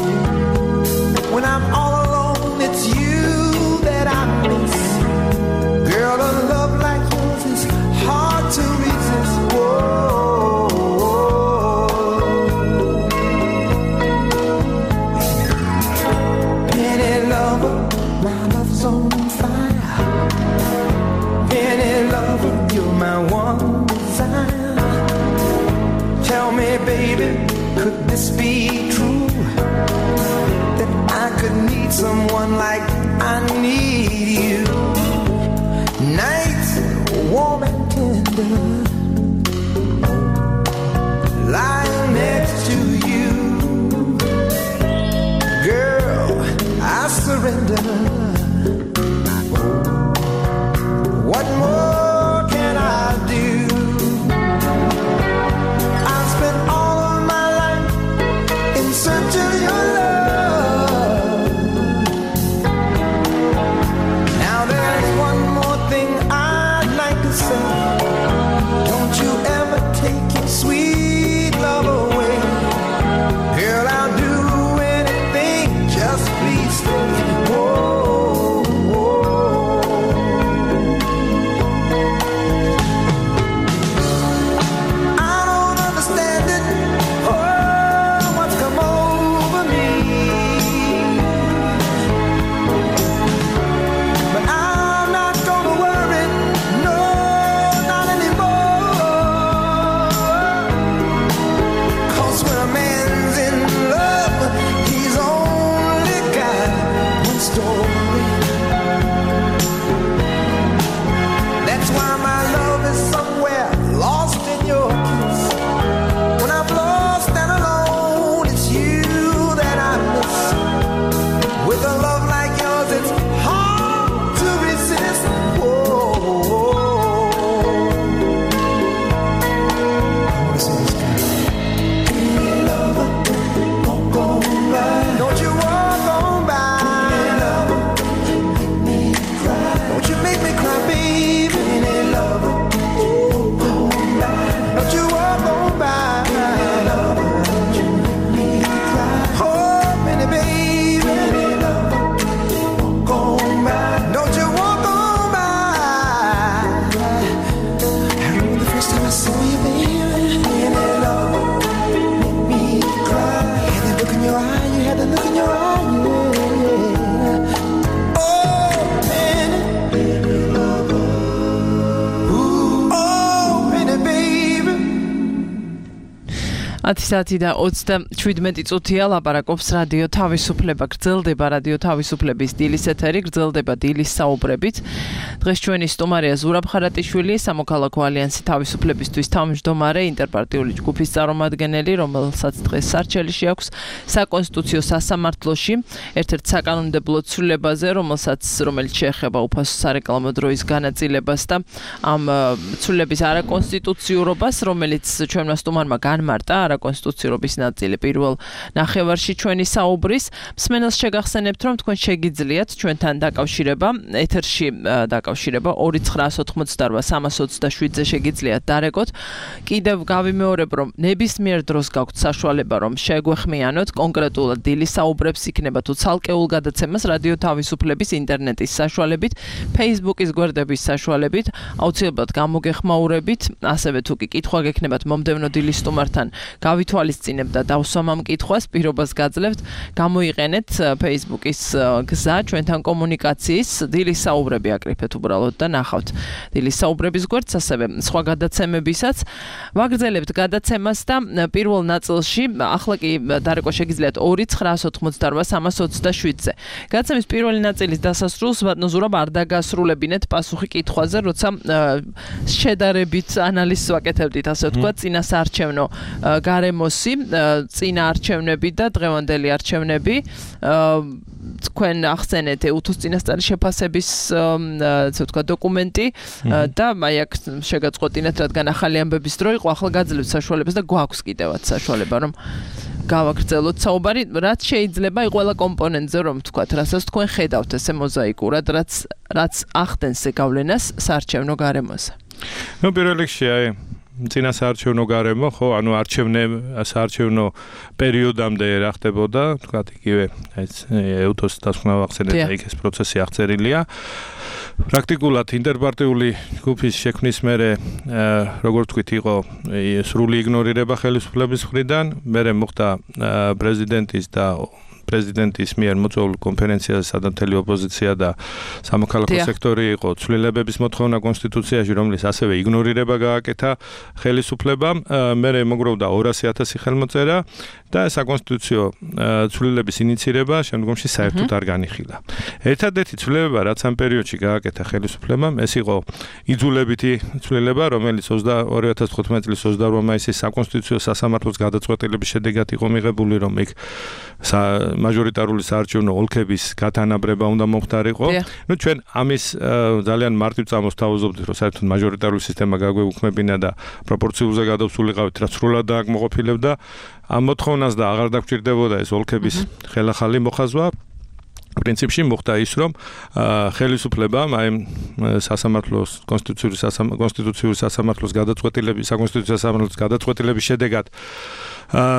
baby, could this be true? That I could need someone like I need you. Nights warm and tender, lying next to you. Girl, I surrender. What more can I do? I've spent all of my life in search of your love. Now there's one more thing I'd like to say. Don't you ever take your sweet love away. Girl, I'll do anything, just please stay. Ათი და 27 წუთია ლაპარაკობს რადიო თავისუფლება. გრძელდება რადიო თავისუფლების დილის ეთერი, გრძელდება დილის საუბრებით. დღეს ჩვენი სტუმარია ზურაბ ხარატიშვილი, სამოქალაქო ალიანსი თავისუფლებისთვის თავმჯდომარე, ინტერპარტიული ჯგუფის წარმომადგენელი, რომელსაც დღეს სარჩელიში აქვს საკონსტიტუციო სასამართლოში, ერთ-ერთ საკანონმდებლო ცვლილებაზე, რომელიც შეეხება უფასო სარეკლამო დროის განაწილებას და ამ ცვლილების არაკონსტიტუციურობას, რომელიც ჩვენმა სტუმარმა განმარტა არაკონსტიტუციურობის ნაწილი პირველ ნახევარში ჩვენი საუბრის. მსმენელს შეგახსენებთ, რომ თქვენ შეგიძლიათ ჩვენთან დაკავშირება, ეთერში დაკავშირება 2988327-ზე შეგიძლიათ დარეკოთ. კიდევ გავიმეორებ, რომ ნებისმიერ დროს გაქვთ საშუალება, რომ შეგვეხმიანოთ კონკრეტულად დილის საუბრებს, იქნება თუ ცალკეულ გადაცემას რადიო თავისუფლების ინტერნეტის საშუალებით, Facebook-ის გვერდების საშუალებით, აუცილებლად გამოგეხმაურებით, ასევე თუ კი კითხვა გექნებათ მომდევნო დილის სტუმართან გავითვალისწინებთ და დავსვამ ამ კითხვას, პირობას გაძლევთ, გამოიყენეთ Facebook-ის გზა ჩვენთან კომუნიკაციის, დილის საუბრები აკრიფეთ უბრალოდ და ნახავთ დილის საუბრების გვერდს, ასევე სხვა გადაცემებისაც. ვაგრძელებთ გადაცემას და პირველ ნაწილში ახლა კი დარეკვა შეგიძლიათ 2988327-ზე. გადაცემის პირველი ნაწილის დასასრულს ბატონო ზურაბ არ დაგასრულებინეთ პასუხი კითხვაზე, როცა შედარებით ანალიზს ვაკეთებდით, ასე ვთქვათ, წინასაარჩევნო გარემოსი, წინა არჩევნები და დღევანდელი არჩევნები. თქვენ ახსენეთ უთოს წინასწარი შეფასების ასე ვთქვათ დოკუმენტი და აი აქ შეგაწყვეტინეთ, რადგან ახალი ამბების დრო იყო, ახლა გაძლევთ საშუალებას და გვაქვს კიდევაც საშუალება, რომ გავაგრძელოთ საუბარი, რაც შეიძლება ყველა კომპონენტზე, რომ ვთქვათ, რასაც თქვენ ხედავთ ესე მოზაიკურად, რაც ახდენს გავლენას საარჩევნო გარემოზე. პირველ რიგში წინასაარჩევნო გარემო, ხო, ანუ საარჩევნო პერიოდამდე რა ხდებოდა, თქვათ, იგივე უთოს დასკვნა ვახსენეთ, იქ ეს პროცესი აღწერილია. პრაქტიკულად ინტერპარტიული ჯგუფის შექმნის მერე, როგორც ვთქვით, იყო სრული იგნორირება ხელისუფლების მხრიდან, მერე მოხდა პრეზიდენტის და პრეზიდენტის მიერ მოწვეულ კონფერენციაზე, სადაც მთელი ოპოზიცია და სამოქალაქო სექტორი იყო, ცვლილებების მოთხოვნა კონსტიტუციაში, რომლის ასევე იგნორირება გააკეთა ხელისუფლებამ, მერე მოგროვდა 200,000 ხელმოწერა და საკონსტიტუციო ცვლილების ინიცირება შემდგომში საერთოდ არ განიხილა. ერთადერთი ცვლილება, რაც ამ პერიოდში გააკეთა ხელისუფლებამ, ეს იყო იძულებითი ცვლილება, რომელიც 2015 წლის 28 მაისის საკონსტიტუციო სასამართლოს გადაწყვეტილების შედეგად იყო მიღებული, რომ იქ მაჟორიტარული საარჩევნო ოლქების გათანაბრება უნდა მომხდარიყო. ნუ ჩვენ ამის ძალიან მარტივ წამოს თავაზობთ, რომ საერთოდ მაჟორიტარული სისტემა გაგვეუქმებინა და პროპორციულზე გადავსულიყავით, რაც სრულად დააკმაყოფილებდა ამ მოთხოვნას და აღარ დაგჭირდებოდა ეს ოლქების ხელახალი მოხაზვა. პრინციპში მოხდა ის, რომ ხელისუფლებამ აი სასამართლოს კონსტიტუციური სასამართლოს გადაწყვეტილების შედეგად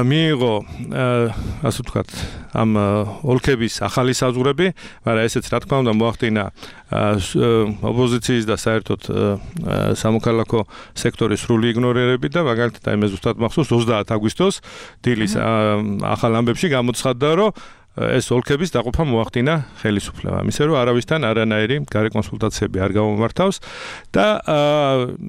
მიიღო ასე ვთქვათ ამ ოლქების ახალი საზღვრები, მაგრამ ესეც რა თქმა უნდა მოახდინა ოპოზიციის და საერთოდ სამოქალაქო სექტორის სრული იგნორირებით და მაგალითად აი მე ზუსტად მახსოვს 30 აგვისტოს დილის ახალ ამბებში გამოცხადდა, რომ ეს ოლქების დაყოფა მოახდინა ხელისუფლებამ. ისე რომ არავისთან არანაირი გარე კონსულტაციები არ გამომართავს და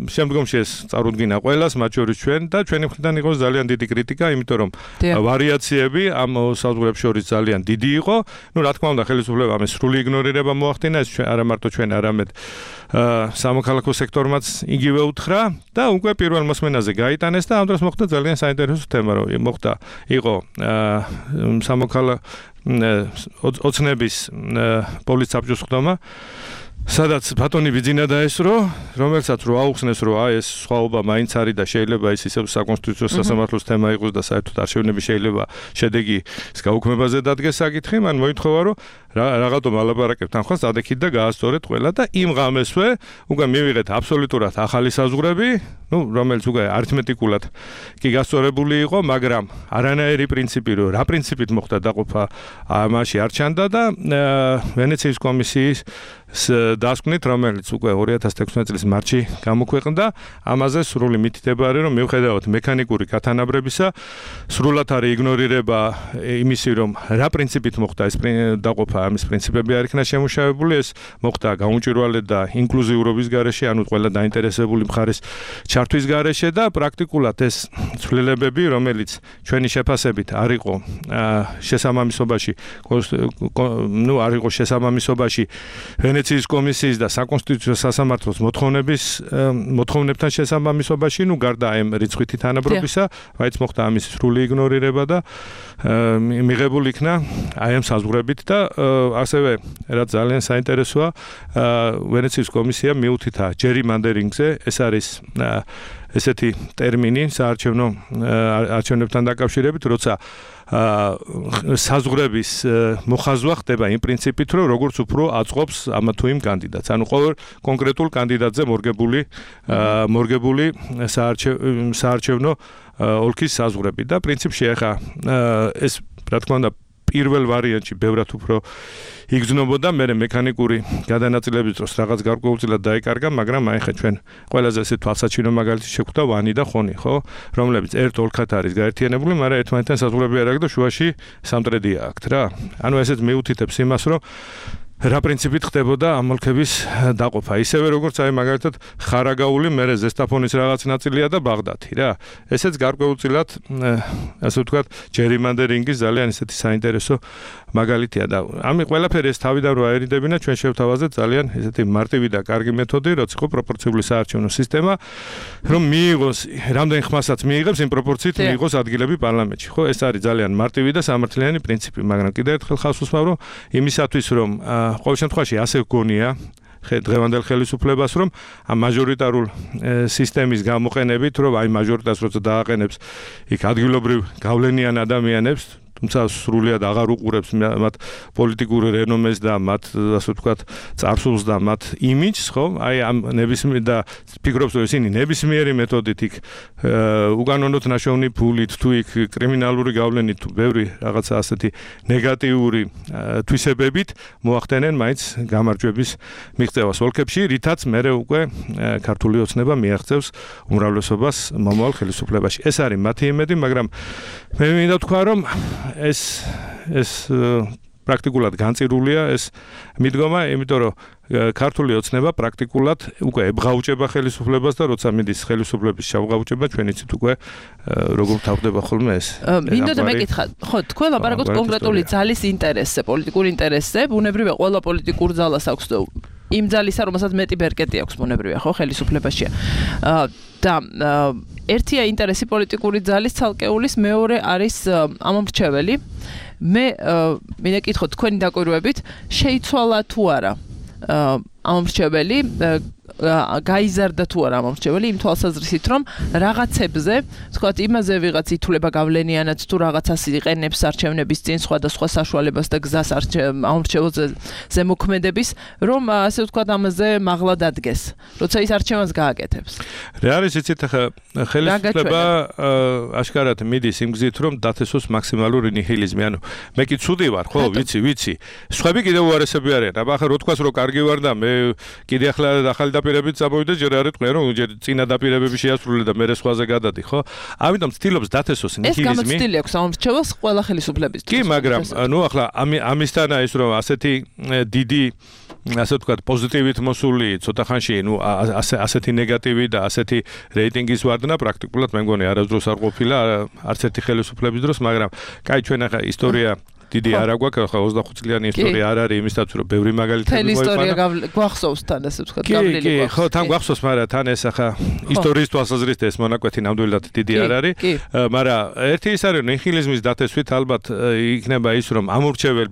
შემდგომში ეს წარუდგინა ყველას, მათ შორის ჩვენ და ჩვენი მხრიდან იყო ძალიან დიდი კრიტიკა, იმიტომ რომ ვარიაციები ამ საზღვრებს შორის ძალიან დიდი იყო. ნუ რა თქმა უნდა ხელისუფლებამ ეს სრული იგნორირება მოახდინა, ეს არა მარტო ჩვენ, არამედ სამოქალაქო სექტორმაც იგივე უთხრა და უკვე პირველ მოსმენაზე გაიტანეს და ამ დროს მოხდა ძალიან საინტერესო თემა, რომ იყო სამოქალაქო ოცნების პოლიცსაბჭოს ხდომა, სადაც ბატონი ბიძინა დაესრო, რომელსაც რო აუხსნეს, რომ ეს სხვაობა მაინც არის და შეიძლება ის ისევ საკონსტიტუციო სასამართლოს თემა იყოს და საერთოდ არჩევნები შეიძლება შედეგის გაუქმებაზე დადგეს საკითხი, მან მოითხოვა, რომ რაღაცომ ალაპარაკებთ ამ ხალხს, ადექით და გაასწორეთ ყველა და იმ ღამესვე უკვე მივიღეთ აბსოლუტურად ახალი საზღვრები, რომელიც უკვე არითმეტიკულად კი გასწორებული იყო, მაგრამ არანაირი პრინციპი, რომ რა პრინციპით მოხდა დაყოფა, ამაში არ ჩანდა და ვენეციის კომისიის დასკვნით, რომელიც უკვე 2016 წლის მარტში გამოქვეყნდა, ამაზე სრული მითითება არის, რომ მიუხედავად მექანიკური გათანაბრებისა, სრულად არის იგნორირება იმისი, რომ რა პრინციპით მოხდა ეს დაყოფა, ამის პრინციპები არ იქნა შემუშავებული, ეს მოხდა გაუმჭვირვალედ და ინკლუზიურობის გარეშე, ანუ ყველა დაინტერესებული მხარის ჩართვის გარეშე და პრაქტიკულად ეს ცვლილებები, რომელიც ჩვენი შეფასებით არ იყო შესაბამისობაში, არ იყო შესაბამისობაში ვენეციის კომისიის და საკონსტიტუციო სასამართლოს მოთხოვნებთან შესაბამისობაში, გარდა ამ რიცხვითი თანაბრობისა, მაინც მოხდა ამის სრული იგნორირება და მიღებული იქნა აი ამ საზღვრებით და ასევე რაც ძალიან საინტერესოა, ვენეციის კომისია მიუთითა ჯერიმანდერინგზე, ეს არის ესეთი ტერმინი საარჩევნებთან დაკავშირებით, როცა საზღვრების მოხაზვა ხდება იმ პრინციპით, რომ როგორც უფრო აწყობს ამ თუ იმ კანდიდატს. ანუ ყოველ კონკრეტულ კანდიდატზე მორგებული საარჩევნო ოლქის საზღვრები და პრინციპში ახლა ეს რა თქმა უნდა პირველ ვარიანტში ბევრად უფრო იგრძნობოდა, მერე მექანიკური გადანაწილების დროს რაღაც გარკვეულწილად დაიკარგა, მაგრამ აი ხა ჩვენ ყველაზე ესე თვალსაჩინო მაგალითი შეგვხვდა ვანი და ხონი, ხო, რომლებიც ერთ ოლქად არის გაერთიანებული, მაგრამ ერთმანეთთან საზღვრები არ აქვს და შუაში სამტრედია აქვთ რა. ანუ ესეც მიუთითებს იმას, რომ რა პრინციპით ხდებოდა ამ ოლქების დაყოფა. ისევე როგორც აი მაგალითად ხარაგაული, მერე ზესტაფონის რაღაც ნაწილია და ბაღდათი რა. ესეც გარკვეულწილად ასე ვთქვათ, ჯერიმანდერინგის ძალიან ესეთი საინტერესო მაგალითია და ამი ყველაფერი ეს თავიდან რო აერიდებინა, ჩვენ შევთავაზეთ ძალიან ესეთი მარტივი და კარგი მეთოდი, რაც იყო პროპორციული საარჩევნო სისტემა, რომ მიიღოს რამდენ ხმასაც მიიღებს იმ პროპორციით მიიღოს ადგილები პარლამენტში. ხო, ეს არის ძალიან მარტივი და სამართლიანი პრინციპი, მაგრამ კიდევ ერთხელ ხალხს უსმავ, რომ იმისათვის რომ ყოველ შემთხვევაში ასე გგონია დღევანდელ ხელისუფლებას, რომ ამ მაჟორიტარულ სისტემის გამოყენებით, რომ აი მაჟორიტარს როცა დააყენებს იქ ადგილობრივ გავლენიან ადამიანებს, თუმცა სრულად აღარ უყურებს მათ პოლიტიკურ რენომეს და მათ ასე ვთქვათ წარსულს და მათ იმიჯს, ხო? აი ამ ნებისმიერ და ფიქრობს, რომ ისინი ნებისმიერი მეთოდით იქ უკანონოდ ნაშოვნი ფულით თუ იქ კრიმინალური გავლენით თუ ბევრი რაღაცა ასეთი ნეგატიური თვისებებით მოახდენენ მაინც გამარჯვების მიღწევას ოლქებში, რითაც მერე უკვე ქართული ოცნება მიაღწევს უმრავლესობას მომავალ ხელისუფლებაში. ეს არის მათი იმედი, მაგრამ მე მინდა ვთქვა, რომ ეს ეს პრაქტიკულად განწირულია ეს მიდგომა, იმიტომ რომ ქართული ოცნება პრაქტიკულად უკვე ებღაუჭება ხელისუფლებას და როცა მიდის ხელისუფლების შავღაუჭება, ჩვენ იცით უკვე როგორ თავდება ხოლმე ეს. მინდოდა მეკითხა, ხო, თქვენ ლაპარაკობთ კონკრეტული ძალის ინტერესზე, პოლიტიკურ ინტერესზე, ბუნებრივია ყველა პოლიტიკურ ძალას აქვს იმ ძალისა, რომელსაც მეტი ბერკეტი აქვს ბუნებრივია, ხო, ხელისუფლებაშია. და ერთია ინტერესი პოლიტიკური ძალის ცალკეულის, მეორე არის ამომრჩეველი. მე მინდა კითხო თქვენი დაკვირვებით, შეიცვალა თუ არა ამომრჩეველი, გაიზარდა თუ არა ამომრჩეველი იმ თვალსაზრისით, რომ რაღაცებზე, თქვათ, იმაზე ვიღაც ითვლება გავლენიანად თუ რაღაცას იყენებს არჩევნების წინ სხვადასხვა საშუალებას და გზას ამომრჩეველზე ზემოქმედების, რომ ასე ვთქვათ, ამაზე მაღლა დადგეს, როცა ის არჩევანს გააკეთებს. რა არის იცით ახლა ხელისუფლება აშკარად მიდის იმ გზით, რომ დათესოს მაქსიმალური ნიჰილიზმი, ანუ მე კი ცუდი ვარ, ხო, ვიცი. სხვები კიდევ უარესები არიან. აბა ახლა რო თქვას რომ კარგი ვარ და მე კიდე ახლა ახალი დაპირებებით წამოვიდე, ჯერ არ იტყვია რომ ჯერ წინა დაპირებები შეასრულე და მე სხვაზე გადადი, ხო? ამიტომ ცდილობს დათესოს ნიჰილიზმი. ეს გამოცდილი აქვს ამომრჩეველს ყველა ხელისუფლების. კი, მაგრამ ნუ ახლა ამისთანა ის რომ ასეთი დიდი ასე ვთქვათ პოზიტივით მოსული ცოტა ხანში, ნუ ასეთი ნეგატივი და ასეთი რეიტინგის ვარდნა პრაქტიკულად მე მგონი არასდროს არ ყოფილა არც ერთი ხელისუფლების დროს, მაგრამ კაი ჩვენ ახლა ისტორია დიდი არ აგვაქვს, ახლა 25 წლიანი ისტორია არ არის იმისათვის, რომ ბევრი მაგალითები მოიყვანა. ისტორია გვახსოვს თან ასე ვთქვათ, გავლილი გვახსოვს. კი, ხო, თან გვახსოვს, მაგრამ თან ეს ახლა ისტორიის თვალსაზრისით ეს მონაკვეთი ნამდვილად დიდი არ არის, მაგრამ ერთი ის არის, რომ ნიჰილიზმის დათესვით ალბათ იქნება ის, რომ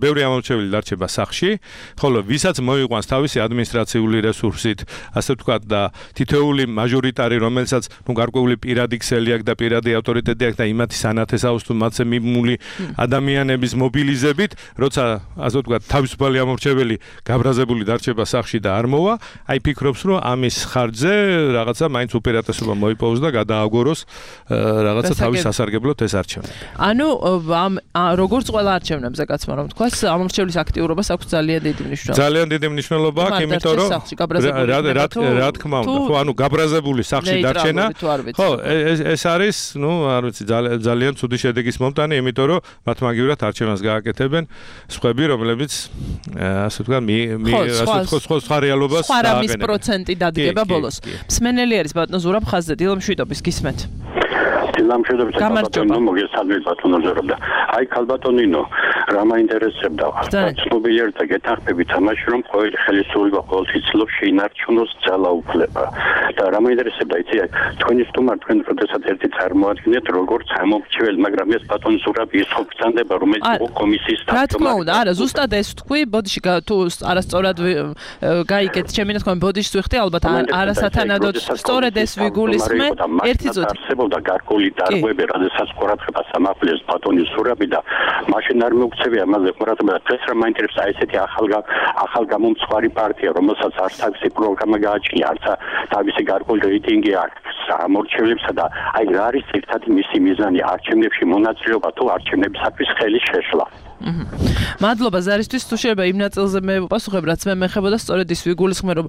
ბევრი ამომრჩეველი დარჩება სახლში, ხოლო ვისაც მოიყვანს თავისი ადმინისტრაციული რესურსით, ასე ვთქვათ და თითოეული მაჟორიტარი, რომელსაც ნუ გარკვეული პირადი ქსელი აქვს და პირადი ავტორიტეტი აქვს და იმათი სანათესავს თუ მათზე მიმული ადამიანების მობილიზებით, როცა ასე ვთქვათ, თავისუფალი ამორჩეველი გაბრაზებული დარჩება სახლში და არ მოვა, აი ფიქრობს, რომ ამის ხარჯზე რაღაცა მაინც უპირატესობა მოიპოვოს და გადააგოროს რაღაცა თავის სასარგებლოდ ეს არჩევნები. ანუ როგორც ყველა არჩევნებზე კაცმა რომ თქვას, ამორჩევლის აქტიურობას აქვს ძალიან დიდი მნიშვნელობა. ძალიან დიდი მნიშვნელობა აქვს, იმიტომ რომ რა თქმა უნდა, ხო, ანუ გაბრაზებული სახლში დარჩენა, ხო, ეს არის, ნუ, არ ვიცი, ძალიან ცუდი შედეგის მომტანი, იმიტომ რომ მათ მაგივრად არჩევანს გააკეთებენ სხვები, რომლებიც ასე ვთქვათ, სხვა რეალობას სხვა რამის პროცენტი დადგება ბოლოს. მსმენელი არის ბატონო ზურაბ ხაზზე, დილამშვიდობის გისმენთ. დილამშვიდობის კალბატონინო მოგესალმებით ბატონო ზურაბ. აი კალბატონინო, რა მაინტერესებდა? ცნობიერად გეთანხმებით ამაში, რომ ყოველი ხელისუფლება ყოველთვის ცდილობს შეინარჩუნოს ძალაუფლება. და რა მაინტერესებდა, იცი, თქვენი სტუმარი თქვენ როდესაც ერთი წარმოადგენთ როგორც ამომრჩეველი, მაგრამ ეს ბატონო ზურაბ ის ხო გწანდება, რომელიც კომისიის რა თქმა უნდა, არა, ზუსტად ეს თქვი, ბოდიში თუ არასწორად გაიგეთ, ჩემი ნათქვამი ბოდიშს ვიხდი, ალბათ არასათანადოდ სწორედ ეს ვიგულისხმე, ერთი წუთი. არსებობდა გარკვეული დარღვევები, როდესაც ყურადღებას ამახვილეს ბატონი ზურაბი და მაშინ არ მოგწევია ამაზე ყურადღება. დღეს რა მაინტერესებს აი ესეთი ახალ გამომცხვარი პარტია, რომელსაც არც თავისი პროგრამა გააჩნია, არც თავისი გარკვეული რეიტინგი აქვს ამორჩევლებსა და აი რა არის ერთადერთი მისი მიზანი არჩევნებში მონაწილეობა თუ არჩევნებისათვის ხელის შეშლა. მადლობა ზარისთვის, თუ შეიძლება იმ ნაწილზე მე ვპასუხებ, რაც მე მეხებოდა, სწორედ ის ვიგულისხმე, რომ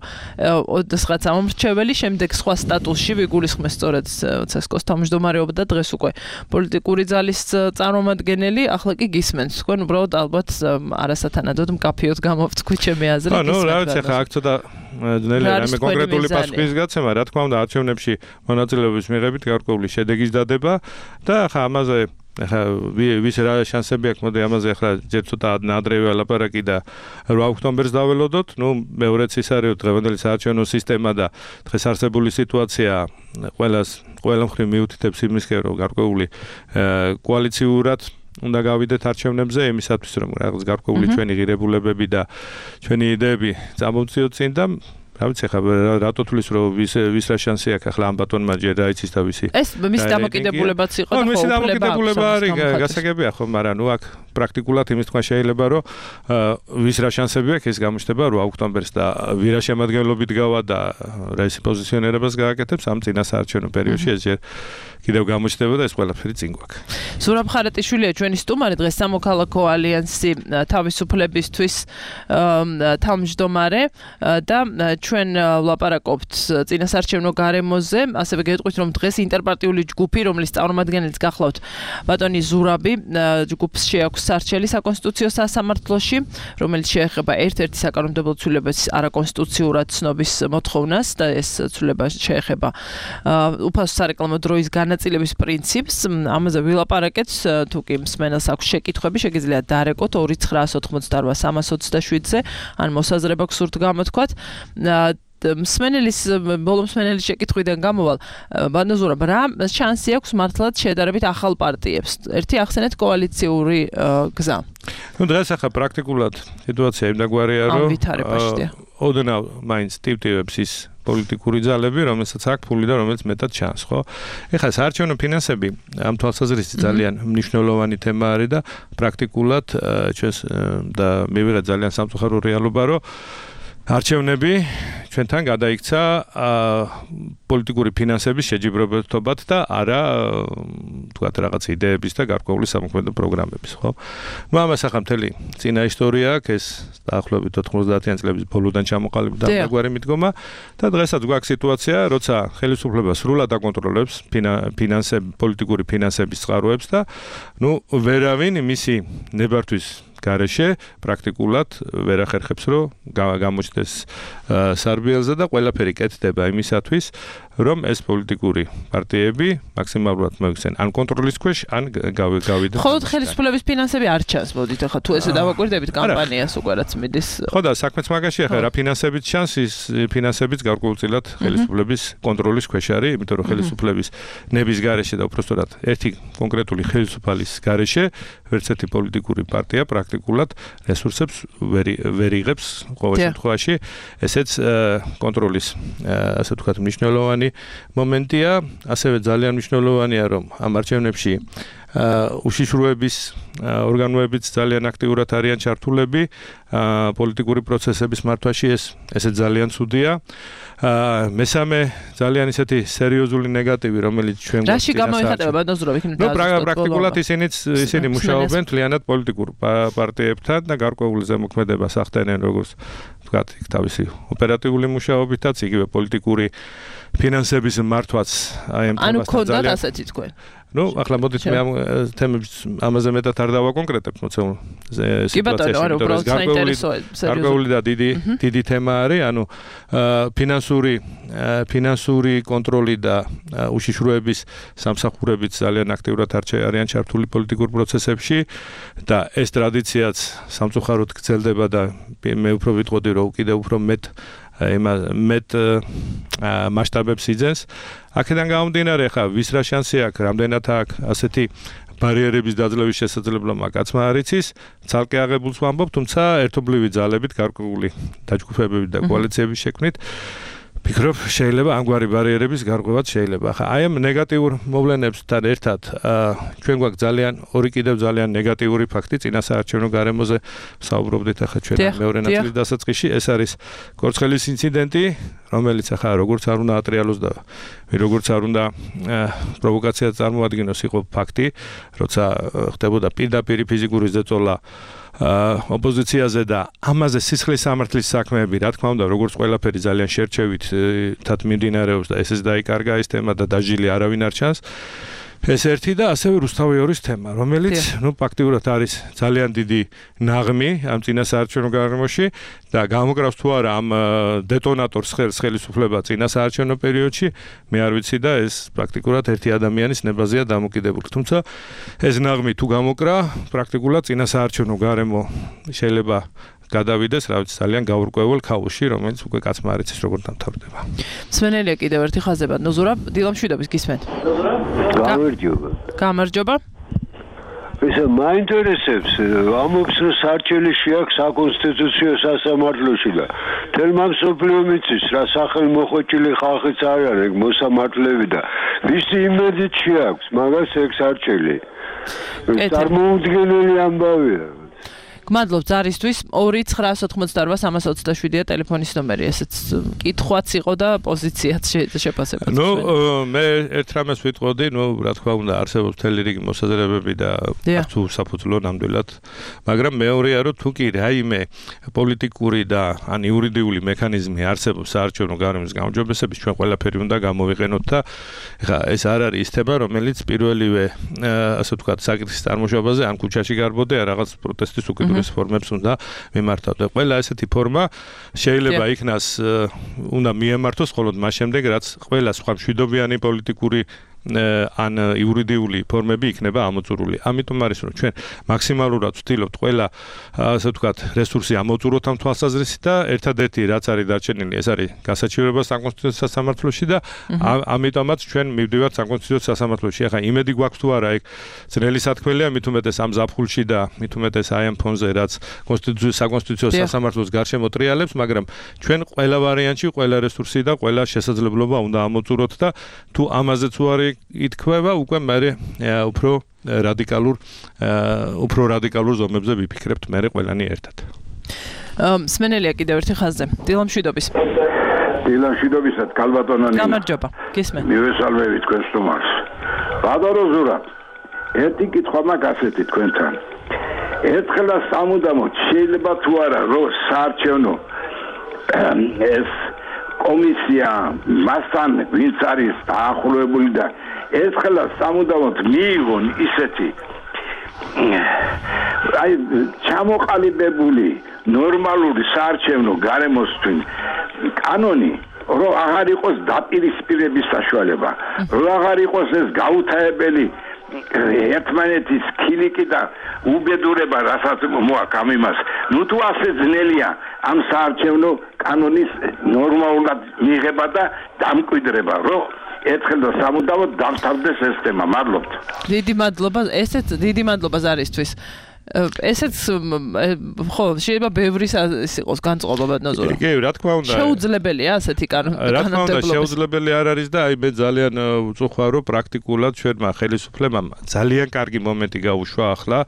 ოდესღაც ამომრჩეველი, შემდეგ სხვა სტატუსში ვიგულისხმე სწორედ ცესკოს თავმჯდომარეობა და დღეს უკვე პოლიტიკური ძალის წარმომადგენელი, ახლა კი გისმენთ. თქვენ უბრალოდ ალბათ არასათანადოდ მკაფიოდ გამოვთქვით ჩემი აზრით. ნუ რა ვიცი, ახლა აქ ცოტა ძნელი რამე კონკრეტული პასუხის გაცემა, რა თქმა უნდა, არჩევნებში მონაწილეობის მიღებით გარკვეული შედეგის დადება და ახლა ამაზე ახლა ვის რა შანსები აქვს, მოდი ამაზე ახლა ჯერ ცოტა ადრევე ლაპარაკი და 8 ოქტომბერს დაველოდოთ. ნუ მეორეც ის არის, დღევანდელი საარჩევნო სისტემა და დღეს არსებული სიტუაცია ყველა მხრივ მიუთითებს იმისკენ, რომ გარკვეული კოალიციურად უნდა გავიდეთ არჩევნებზე, იმისათვის რომ რაღაც გარკვეული ჩვენი ღირებულებები და ჩვენი იდეები წამოვწიოთ წინ და რა ვიცი, ახლა რატო თulis რომ ვის რა შანსი აქვს ახლა ამ ბატონმა ჯერ რა იცის და ვისი ეს მის დამოკიდებულებაც იყო და ხო დამოკიდებულება არის გასაგებია ხო, მაგრამ ნუ აქ პრაქტიკულად იმის თქვა შეიძლება რომ ვის რა შანსები აქვს ეს გამოჩნდება 8 ოქტომბერს და ვირა შემადგენლობით გავა და რა ისი პოზიციონერებას გააკეთებს ამ წინა საარჩევნო პერიოდში ეს ჯერ კიდევ გამოჩნდება და ეს ყველაფერი წინ გვაქვს. ზურაბ ხარატიშვილია ჩვენი სტუმარი, დღეს სამოქალაქო ალიანსი თავისუფლებისთვის თავმჯდომარე და ჩვენ ვლაპარაკობთ წინასარჩევნო გარემოზე, ასევე გეტყვით, რომ დღეს ინტერპარტიული ჯგუფი, რომლის წარმომადგენელიც გახლავთ ბატონი ზურაბი, ჯგუფს შეაქვს სარჩელი საკონსტიტუციო სასამართლოში, რომელიც შეეხება ერთ-ერთი საკანონმდებლო ცვლილების არაკონსტიტუციურად ცნობის მოთხოვნას და ეს ცვლილება შეეხება უფასო სარეკლამო დროის განაწილების პრინციპს. ამაზე ვილაპარაკეთ, თუ კი მსმენელს აქვს შეკითხვები, შეგიძლიათ დარეკოთ 2988327-ზე, ან მოსაზრება გსურთ გამოთქვათ. ბოლო მსმენელის შეკითხვიდან გამოვალ, ბატონო ზურაბ, რა შანსი აქვს მართლაც შედარებით ახალ პარტიებს? ერთი ახსენეთ კოალიციური გზა. დღეს ახლა პრაქტიკულად სიტუაცია იმდაგვარია, რომ ოდნავ მაინც ტივტივებს ის პოლიტიკური ძალები, რომელსაც აქვს ფული და რომელიც მეტად ჩანს, ხო? ეხლა საარჩევნო ფინანსები ამ თვალსაზრისით ძალიან მნიშვნელოვანი თემა არის და პრაქტიკულად ჩვენს და მივიღეთ ძალიან სამწუხარო რეალობა, რომ არჩევნები ჩვენთან გადაიქცა პოლიტიკური ფინანსების შეჯიბრებითობად და არა თქვათ რაღაც იდეების და გარკვეული სამოქმედო პროგრამების, ხო? ამას ახლა მთელი წინა ისტორია აქვს, ეს დაახლოებით 90-იან წლების ბოლოდან ჩამოყალიბდა დამგვარი მიდგომა და დღესაც გვაქვს სიტუაცია, როცა ხელისუფლება სრულად აკონტროლებს პოლიტიკური ფინანსების წყაროებს და ვერავინ მისი ნებართვის გარეშე პრაქტიკულად ვერ ახერხებს, რომ გამოჩნდეს სარბიელზე და ყველაფერი კეთდება იმისათვის, რომ ეს პოლიტიკური პარტიები მაქსიმალურად მოიქცენ ან კონტროლის ქვეშ, ან გავიდეთ. ხოლო ხელისუფლების ფინანსები არ ჩანს, მოდით ახლა თუ ესე დავაკვირდებით კამპანიას უკვე რაც მიდის. ხო და საქმეც მაგაში ახლა რა ფინანსებით ჩანს, ის ფინანსებიც გარკვეულწილად ხელისუფლების კონტროლის ქვეშ არის, იმიტომ რომ ხელისუფლების ნების გარეშე და უпростоრად ერთი კონკრეტული ხელისუფალის გარეშე ვერც ერთი პოლიტიკური პარტია პრაქტიკულად რესურსებს ვერ იღებს ყოველ შემთხვევაში. ესეც კონტროლის ასე ვთქვათ მნიშვნელოვანი მომენტია, ასევე ძალიან მნიშვნელოვანია, რომ ამ არჩევნებში უშიშროების ორგანოებიც ძალიან აქტიურად არიან ჩართულები პოლიტიკური პროცესების მართვაში, ესეც ძალიან ცუდია. მესამე ძალიან ისეთი სერიოზული ნეგატივი, რომელიც ჩვენ გვაქვს. რაში გამოიხატება ბატონო ზურაბ, იქნებ დაასრულოთ. პრაქტიკულად ისინი მუშაობენ მთლიანად პოლიტიკურ პარტიებთან და გარკვეული ზემოქმედებას ახდენენ, როგორც ვთქვათ, თავისი ოპერატიული მუშაობითაც, იგივე პოლიტიკური ფინანსების მართვაც აი ამ თემასთან ძალიან. ანუ ქონდათ ასეთი თქვენ. ახლა მოდით მე ამ თემებს ამაზე მეტად არ დავაკონკრეტებ, მოცემულ სიტუაციაში, გარკვეული და დიდი თემა არის, ანუ ფინანსური კონტროლი და უშიშროების სამსახურებიც ძალიან აქტიურად არიან ჩართული პოლიტიკურ პროცესებში და ეს ტრადიციაც სამწუხაროდ გრძელდება და მე უფრო ვიტყოდი, რომ კიდევ უფრო მეტ მასშტაბებს იძენს. აქედან გამომდინარე, ხა ვის რა შანსი აქვს, რამდენად აქვს ასეთი ბარიერების დაძლევის შესაძლებლობა კაცმა არ იცის, ცალკე აღებულს ვამბობ, თუმცა ერთობლივი ძალებით, გარკვეული დაჯგუფებებით და კოალიციების შექმნით ფიქრობ, შეიძლება ამგვარი ბარიერების გარღვევაც შეიძლება. ხა აი ამ ნეგატიურ მოვლენებსთან ერთად ჩვენ გვაქვს ორი კიდევ ძალიან ნეგატიური ფაქტი წინასაარჩევნო გარემოზე საუბრობდით ახლა ჩვენ მეორე ნაწილის დასაწყისში, ეს არის კორცხელის ინციდენტი, რომელიც ახლა როგორც არ უნდა ატრიალოს და როგორც არ უნდა პროვოკაციას წარმოადგენოს, იყო ფაქტი, როცა ხდებოდა პირდაპირ ფიზიკური ზეწოლა ოპოზიციაზე და ამაზე სისხლის სამართლის საქმეები, რა თქმა უნდა, როგორც ყველაფერი ძალიან შერჩევით მიმდინარეობს და ესეც დაიკარგა ეს თემა და დაჟილი არავინ არ ჩანს. ეს ერთი და ასევე რუსთავიორის თემა, რომელიც ფაქტიურად არის ძალიან დიდი ნაღმი ამ წინასაარჩევნო გარემოში და გამოკრავს თუ არა ამ დეტონატორს ხელისუფლება წინასაარჩევნო პერიოდში, მე არ ვიცი და ეს პრაქტიკულად ერთი ადამიანის ნებაზეა დამოკიდებული. თუმცა ეს ნაღმი თუ გამოკრა, პრაქტიკულად წინასაარჩევნო გარემო შეიძლება გადავიდეს, რა ვიცი, ძალიან გაურკვეველ ქაოსში, რომელიც უკვე კაცმა არ იცის როგორ დამთავრდება. მსმენელია კიდევ ერთი ხაზი ბატონო ზურაბ, დილამშვიდობის გისმენთ. გამარჯობა. Ისა მაინტერესებს, ამობს რომ სარჩელი შეაქვს საკონსტიტუციო სასამართლოში და თელმა მსოფლიო მიწის რა სახელმოხვეჭილი ხალხიც არ არის ეგ მოსამართლეები და ვისი იმედით შეაქვს მაგას ეგ სარჩელი. წარმოუდგენელი ამბავია. გმადლობ ზარისთვის 2-988-327-ია ტელეფონის ნომერი, ესეც კითხვაც იყო და პოზიციაც შეფასებაც. მე ერთ რამეს ვიტყოდი, რა თქმა უნდა, არსებობს მთელი რიგი მოსაზრებები და თუ საფუძვლო ნამდვილად, მაგრამ მეორეა, რომ თუ კი რაიმე პოლიტიკური და ან იურიდიული მექანიზმი არსებობს საარჩევნო გარემოს გაუმჯობესების, ჩვენ ყველაფერი უნდა გამოვიყენოთ და ეხლა ეს არ არის ის თემა, რომელიც პირველივე ასე ვთქვათ, საკითხის წარმოშობაზე ან ქუჩაში გარბოდე, ან რაღაც პროტესტის უკიდურეს ფორმებს უნდა მიმართავდე. ყველა ესეთი ფორმა შეიძლება იქნას უნდა მიემართოს მხოლოდ მას შემდეგ, რაც ყველა სხვა მშვიდობიანი პოლიტიკური ან იურიდიული ფორმები იქნება ამოწურული. ამიტომ არის რომ ჩვენ მაქსიმალურად ვცდილობთ ყველა ასე ვთქვათ რესურსი ამოწუროთ ამ თვალსაზრისით და ერთადერთი რაც არის დარჩენილი ეს არის გასაჩივრება საკონსტიტუციო სასამართლოში და ამიტომაც ჩვენ მივდივართ საკონსტიტუციო სასამართლოში. ახლა იმედი გვაქვს თუ არა ეგ ძნელი სათქმელია მით უმეტეს ამ ზაფხულში და მით უმეტეს აი ამ ფონზე რაც საკონსტიტუციო სასამართლოს გარშემო ტრიალებს, მაგრამ ჩვენ ყველა ვარიანტში ყველა რესურსი და ყველა შესაძლებლობა უნდა ამოწუროთ და თუ ამაზეც უარი ითქვება უკვე მე უფრო რადიკალურ ზომებზე ვიფიქრებთ მე ყველანი ერთად. სმენელია კიდევ ერთი ხაზზე. დილამშვიდობის. დილამშვიდობისად კალბატონანი. გამარჯობა. გისმენ. მივესალმები თქვენ სტუმარს. ბადარო ზურა. ერთი კითხვა მაქვს ასეთი თქვენთან. ერთხელა სამუდამოდ შეიძლება თუ არა რომ საარჩევნო ეს კომისია მასთან ვინც არის დაახლოებული და ერთხელა სამუდამოდ მიიღონ ისეთი აი ჩამოყალიბებული ნორმალური საარჩევნო გარემოსთვის კანონი რომ აღარ იყოს დაპირისპირების საშუალება, რომ აღარ იყოს ეს გაუთავებელი ერთმანეთის ქილიკი და უბედურება, რასაც მოაქვს ამ იმას. ნუ თუ ასე ძნელია ამ საარჩევნო კანონის ნორმალურად მიღება და დამკვიდრება, რომ ერთხელ და სამუდამოდ დამთავრდეს ეს თემა. მადლობთ. დიდი მადლობა, ესეც დიდი მადლობა ზარისთვის. ესეც ხო შეიძლება ბევრი იყოს განწყობა ბატონო. კი, რა თქმა უნდა. შეუძლებელია ასეთი კანონმდებლობა. რა თქმა უნდა, შეუძლებელი არ არის და აი მე ძალიან ვწუხარ რომ პრაქტიკულად ჩვენმა ხელისუფლებამ ძალიან კარგი მომენტი გაუშვა ახლა,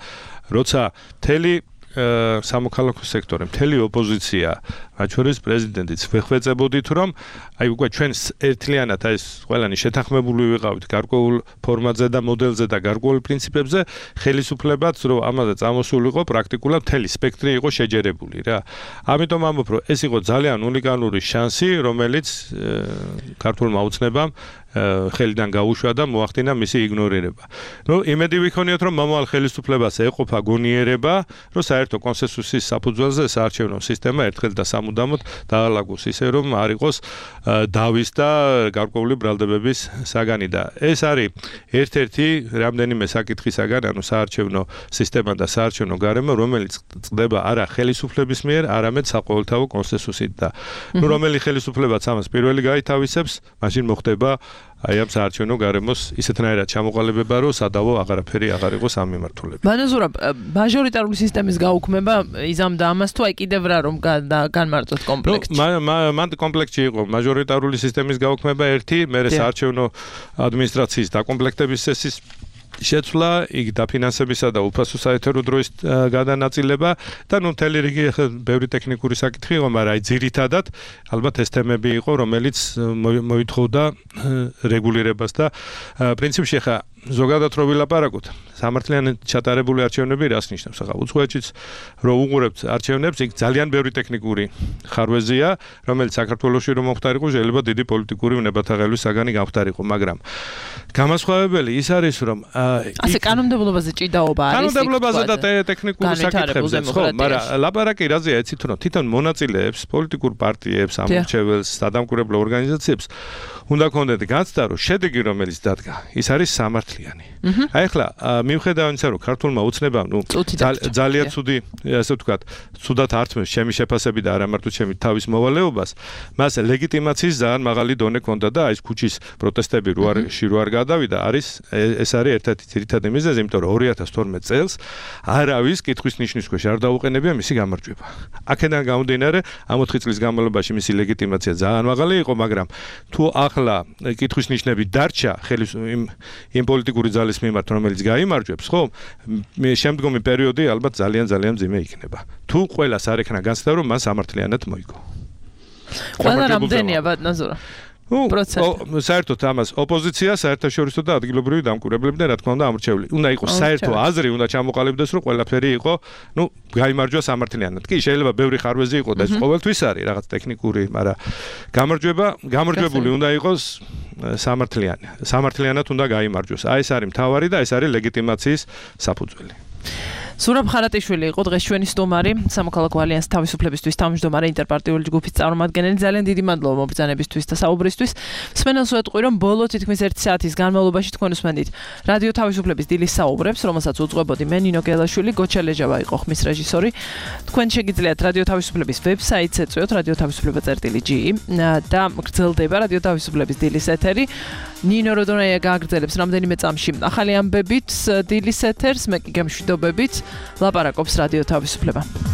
როცა მთელი სამოქალაქო სექტორი, მთელი ოპოზიცია, მათ შორის პრეზიდენტიც ვეხვეწებოდით რომ აი უკვე ჩვენ ერთლიანად აი ეს ყველანი შეთანხმებული ვიყავით გარკვეულ ფორმატზე და მოდელზე და გარკვეულ პრინციპებზე, ხელისუფლებაც რომ ამაზე წამოსულიყო პრაქტიკულად მთელი სპექტრი იყო შეჯერებული რა. ამიტომ ამბობ რომ ეს იყო ძალიან უნიკალური შანსი, რომელიც ქართულმა ოცნებამ ხელიდან გაუშვა და მოახდინა მისი იგნორირება. იმედი ვიქონიოთ რომ მომავალ ხელისუფლებას ეყოფა გონიერება, რომ საერთო კონსენსუსის საფუძველზე საარჩევნო სისტემა ერთხელ და სამუდამოდ დაალაგოს ისე რომ არ იყოს დავის და გარკვეული ბრალდებების საგანი და ეს არის ერთ-ერთი რამდენიმე საკითხისაგან, ანუ საარჩევნო სისტემა და საარჩევნო გარემო, რომელიც წდება არა ხელისუფლების მიერ, არამედ საყოველთაო კონსენსუსით და რომელი ხელისუფლებაც ამას პირველი გაითავისებს, მაშინ მოხდება აი ამ საარჩევნო გარემოს ისეთნაირად ჩამოყალიბება, რომ სადავო აღარაფერი აღარ იყოს ამ მიმართულებით. ბანაზურა, მაჟორიტარული სისტემის გაუქმება იზამდა ამას თუ აი კიდევ რა რომ განმარტოთ კომპლექსში. მან კომპლექსში იყო მაჟორიტარული სისტემის გაუქმება ერთი, მერე საარჩევნო ადმინისტრაციის დაკომპლექტების წესის შეცვლა, იქ დაფინანსებისა და უფასო საეთერო დროის გადანაწილება და ნუ მთელი რიგი ბევრი ტექნიკური საკითხი იყო, მაგრამ აი ძირითადად ალბათ ეს თემები იყო, რომელიც მოითხოვდა რეგულირებას და პრინციპში ხა ზოგადად რო ვილაპარაკოთ, სამართლიანი ჩატარებული არჩევნები რას ნიშნავს? ახლა უცხოეთშიც რო უყურებთ არჩევნებს, იქ ძალიან ბევრი ტექნიკური ხარვეზია, რომელიც საქართველოში რომ მოხდარიყო, შეიძლება დიდი პოლიტიკური ნებათაღელვის საგანი გამხდარიყო, მაგრამ გამასხვავებელი ის არის, რომ ასე კანონმდებლობაზე ჭიდაობა არის. კანონმდებლობაზე და ტექნიკურ საკითხებზე, ხო, მაგრამ ლაპარაკი რაზეა, იცით რომ თვითონ მონაწილეებს, პოლიტიკურ პარტიებს, ამორჩეველს, სადამკვირვებლო ორგანიზაციებს უნდა ქონდეთ განცდა, რომ შედეგი რომელიც დადგა, ის არის სამართლიანი. აი ახლა მიუხედავად იმისა, რომ ქართულმა ოცნებამ, ძალიან ცუდი, ასე ვთქვათ, ცუდად ართმევს ჩემი შეფასები და არა მარტო ჩემი თავის მოვალეობას, მას ლეგიტიმაციის ძალიან მაღალი დონე ჰქონდა და აი ეს ქუჩის პროტესტები რო არ გადავიდა, ეს არის ერთ-ერთი ძირითადი მიზეზი, იმიტომ რომ 2012 წელს არავის კითხვის ნიშნის ქვეშ არ დაუყენებია მისი გამარჯვება. აქედან გამომდინარე, ამ 4 წლის განმავლობაში მისი ლეგიტიმაცია ძალიან მაღალი იყო, მაგრამ თუ ახლა კითხვის ნიშნები დარჩა იმ პოლიტიკური ძალის მიმართ, რომელიც გაიმარჯვებს, ხო? შემდგომი პერიოდი ალბათ ძალიან მძიმე იქნება. თუ ყველას არ ექნა განცდა, რომ მან სამართლიანად მოიგო. ყველა რამდენია ბატონო? საერთოდ ამას ოპოზიცია, საერთაშორისო და ადგილობრივი დამკვირვებლები და რა თქმა უნდა ამორჩეული. უნდა იყოს საერთო აზრი, უნდა ჩამოყალიბდეს, რომ ყველაფერი იყო, გაიმარჯვა სამართლიანად. კი, შეიძლება ბევრი ხარვეზი იყოს და ეს ყოველთვის არის რაღაც ტექნიკური, მაგრამ გამარჯვებული უნდა იყოს სამართლიანი. სამართლიანად უნდა გაიმარჯვოს. ეს არის მთავარი და ეს არის ლეგიტიმაციის საფუძველი. სურაბ ხარატიშვილი იყო დღეს ჩვენი სტუმარი, სამოქალაქო ალიანსის თავისუფლებისთვის თავმჯდომარე ინტერპარტიული ჯგუფის წარმომადგენელი. ძალიან დიდი მადლობა მობრძანებისთვის და საუბრისთვის. მსმენელს ვეტყვი, რომ ბოლო თითქმის 1 საათის განმავლობაში თქვენ უსმენდით რადიო თავისუფლების დილის საუბრებს, რომელსაც უძღვებოდი მე ნინო გელაშვილი, გოჩა ლეჯავა იყო ხმის რეჟისორი. თქვენ შეგიძლიათ რადიო თავისუფლების ვებსაიტს ეწვიოთ radiotavisupleba.ge და გრძელდება რადიო თავისუფლების დილის ეთერი. ნინო როდონაია გააგრძელებს რამდენიმე წამში ახალი ამბებით დილის ეთერს, მე კი გემშვიდობებით ლაპარაკობს რადიო თავისუფლება.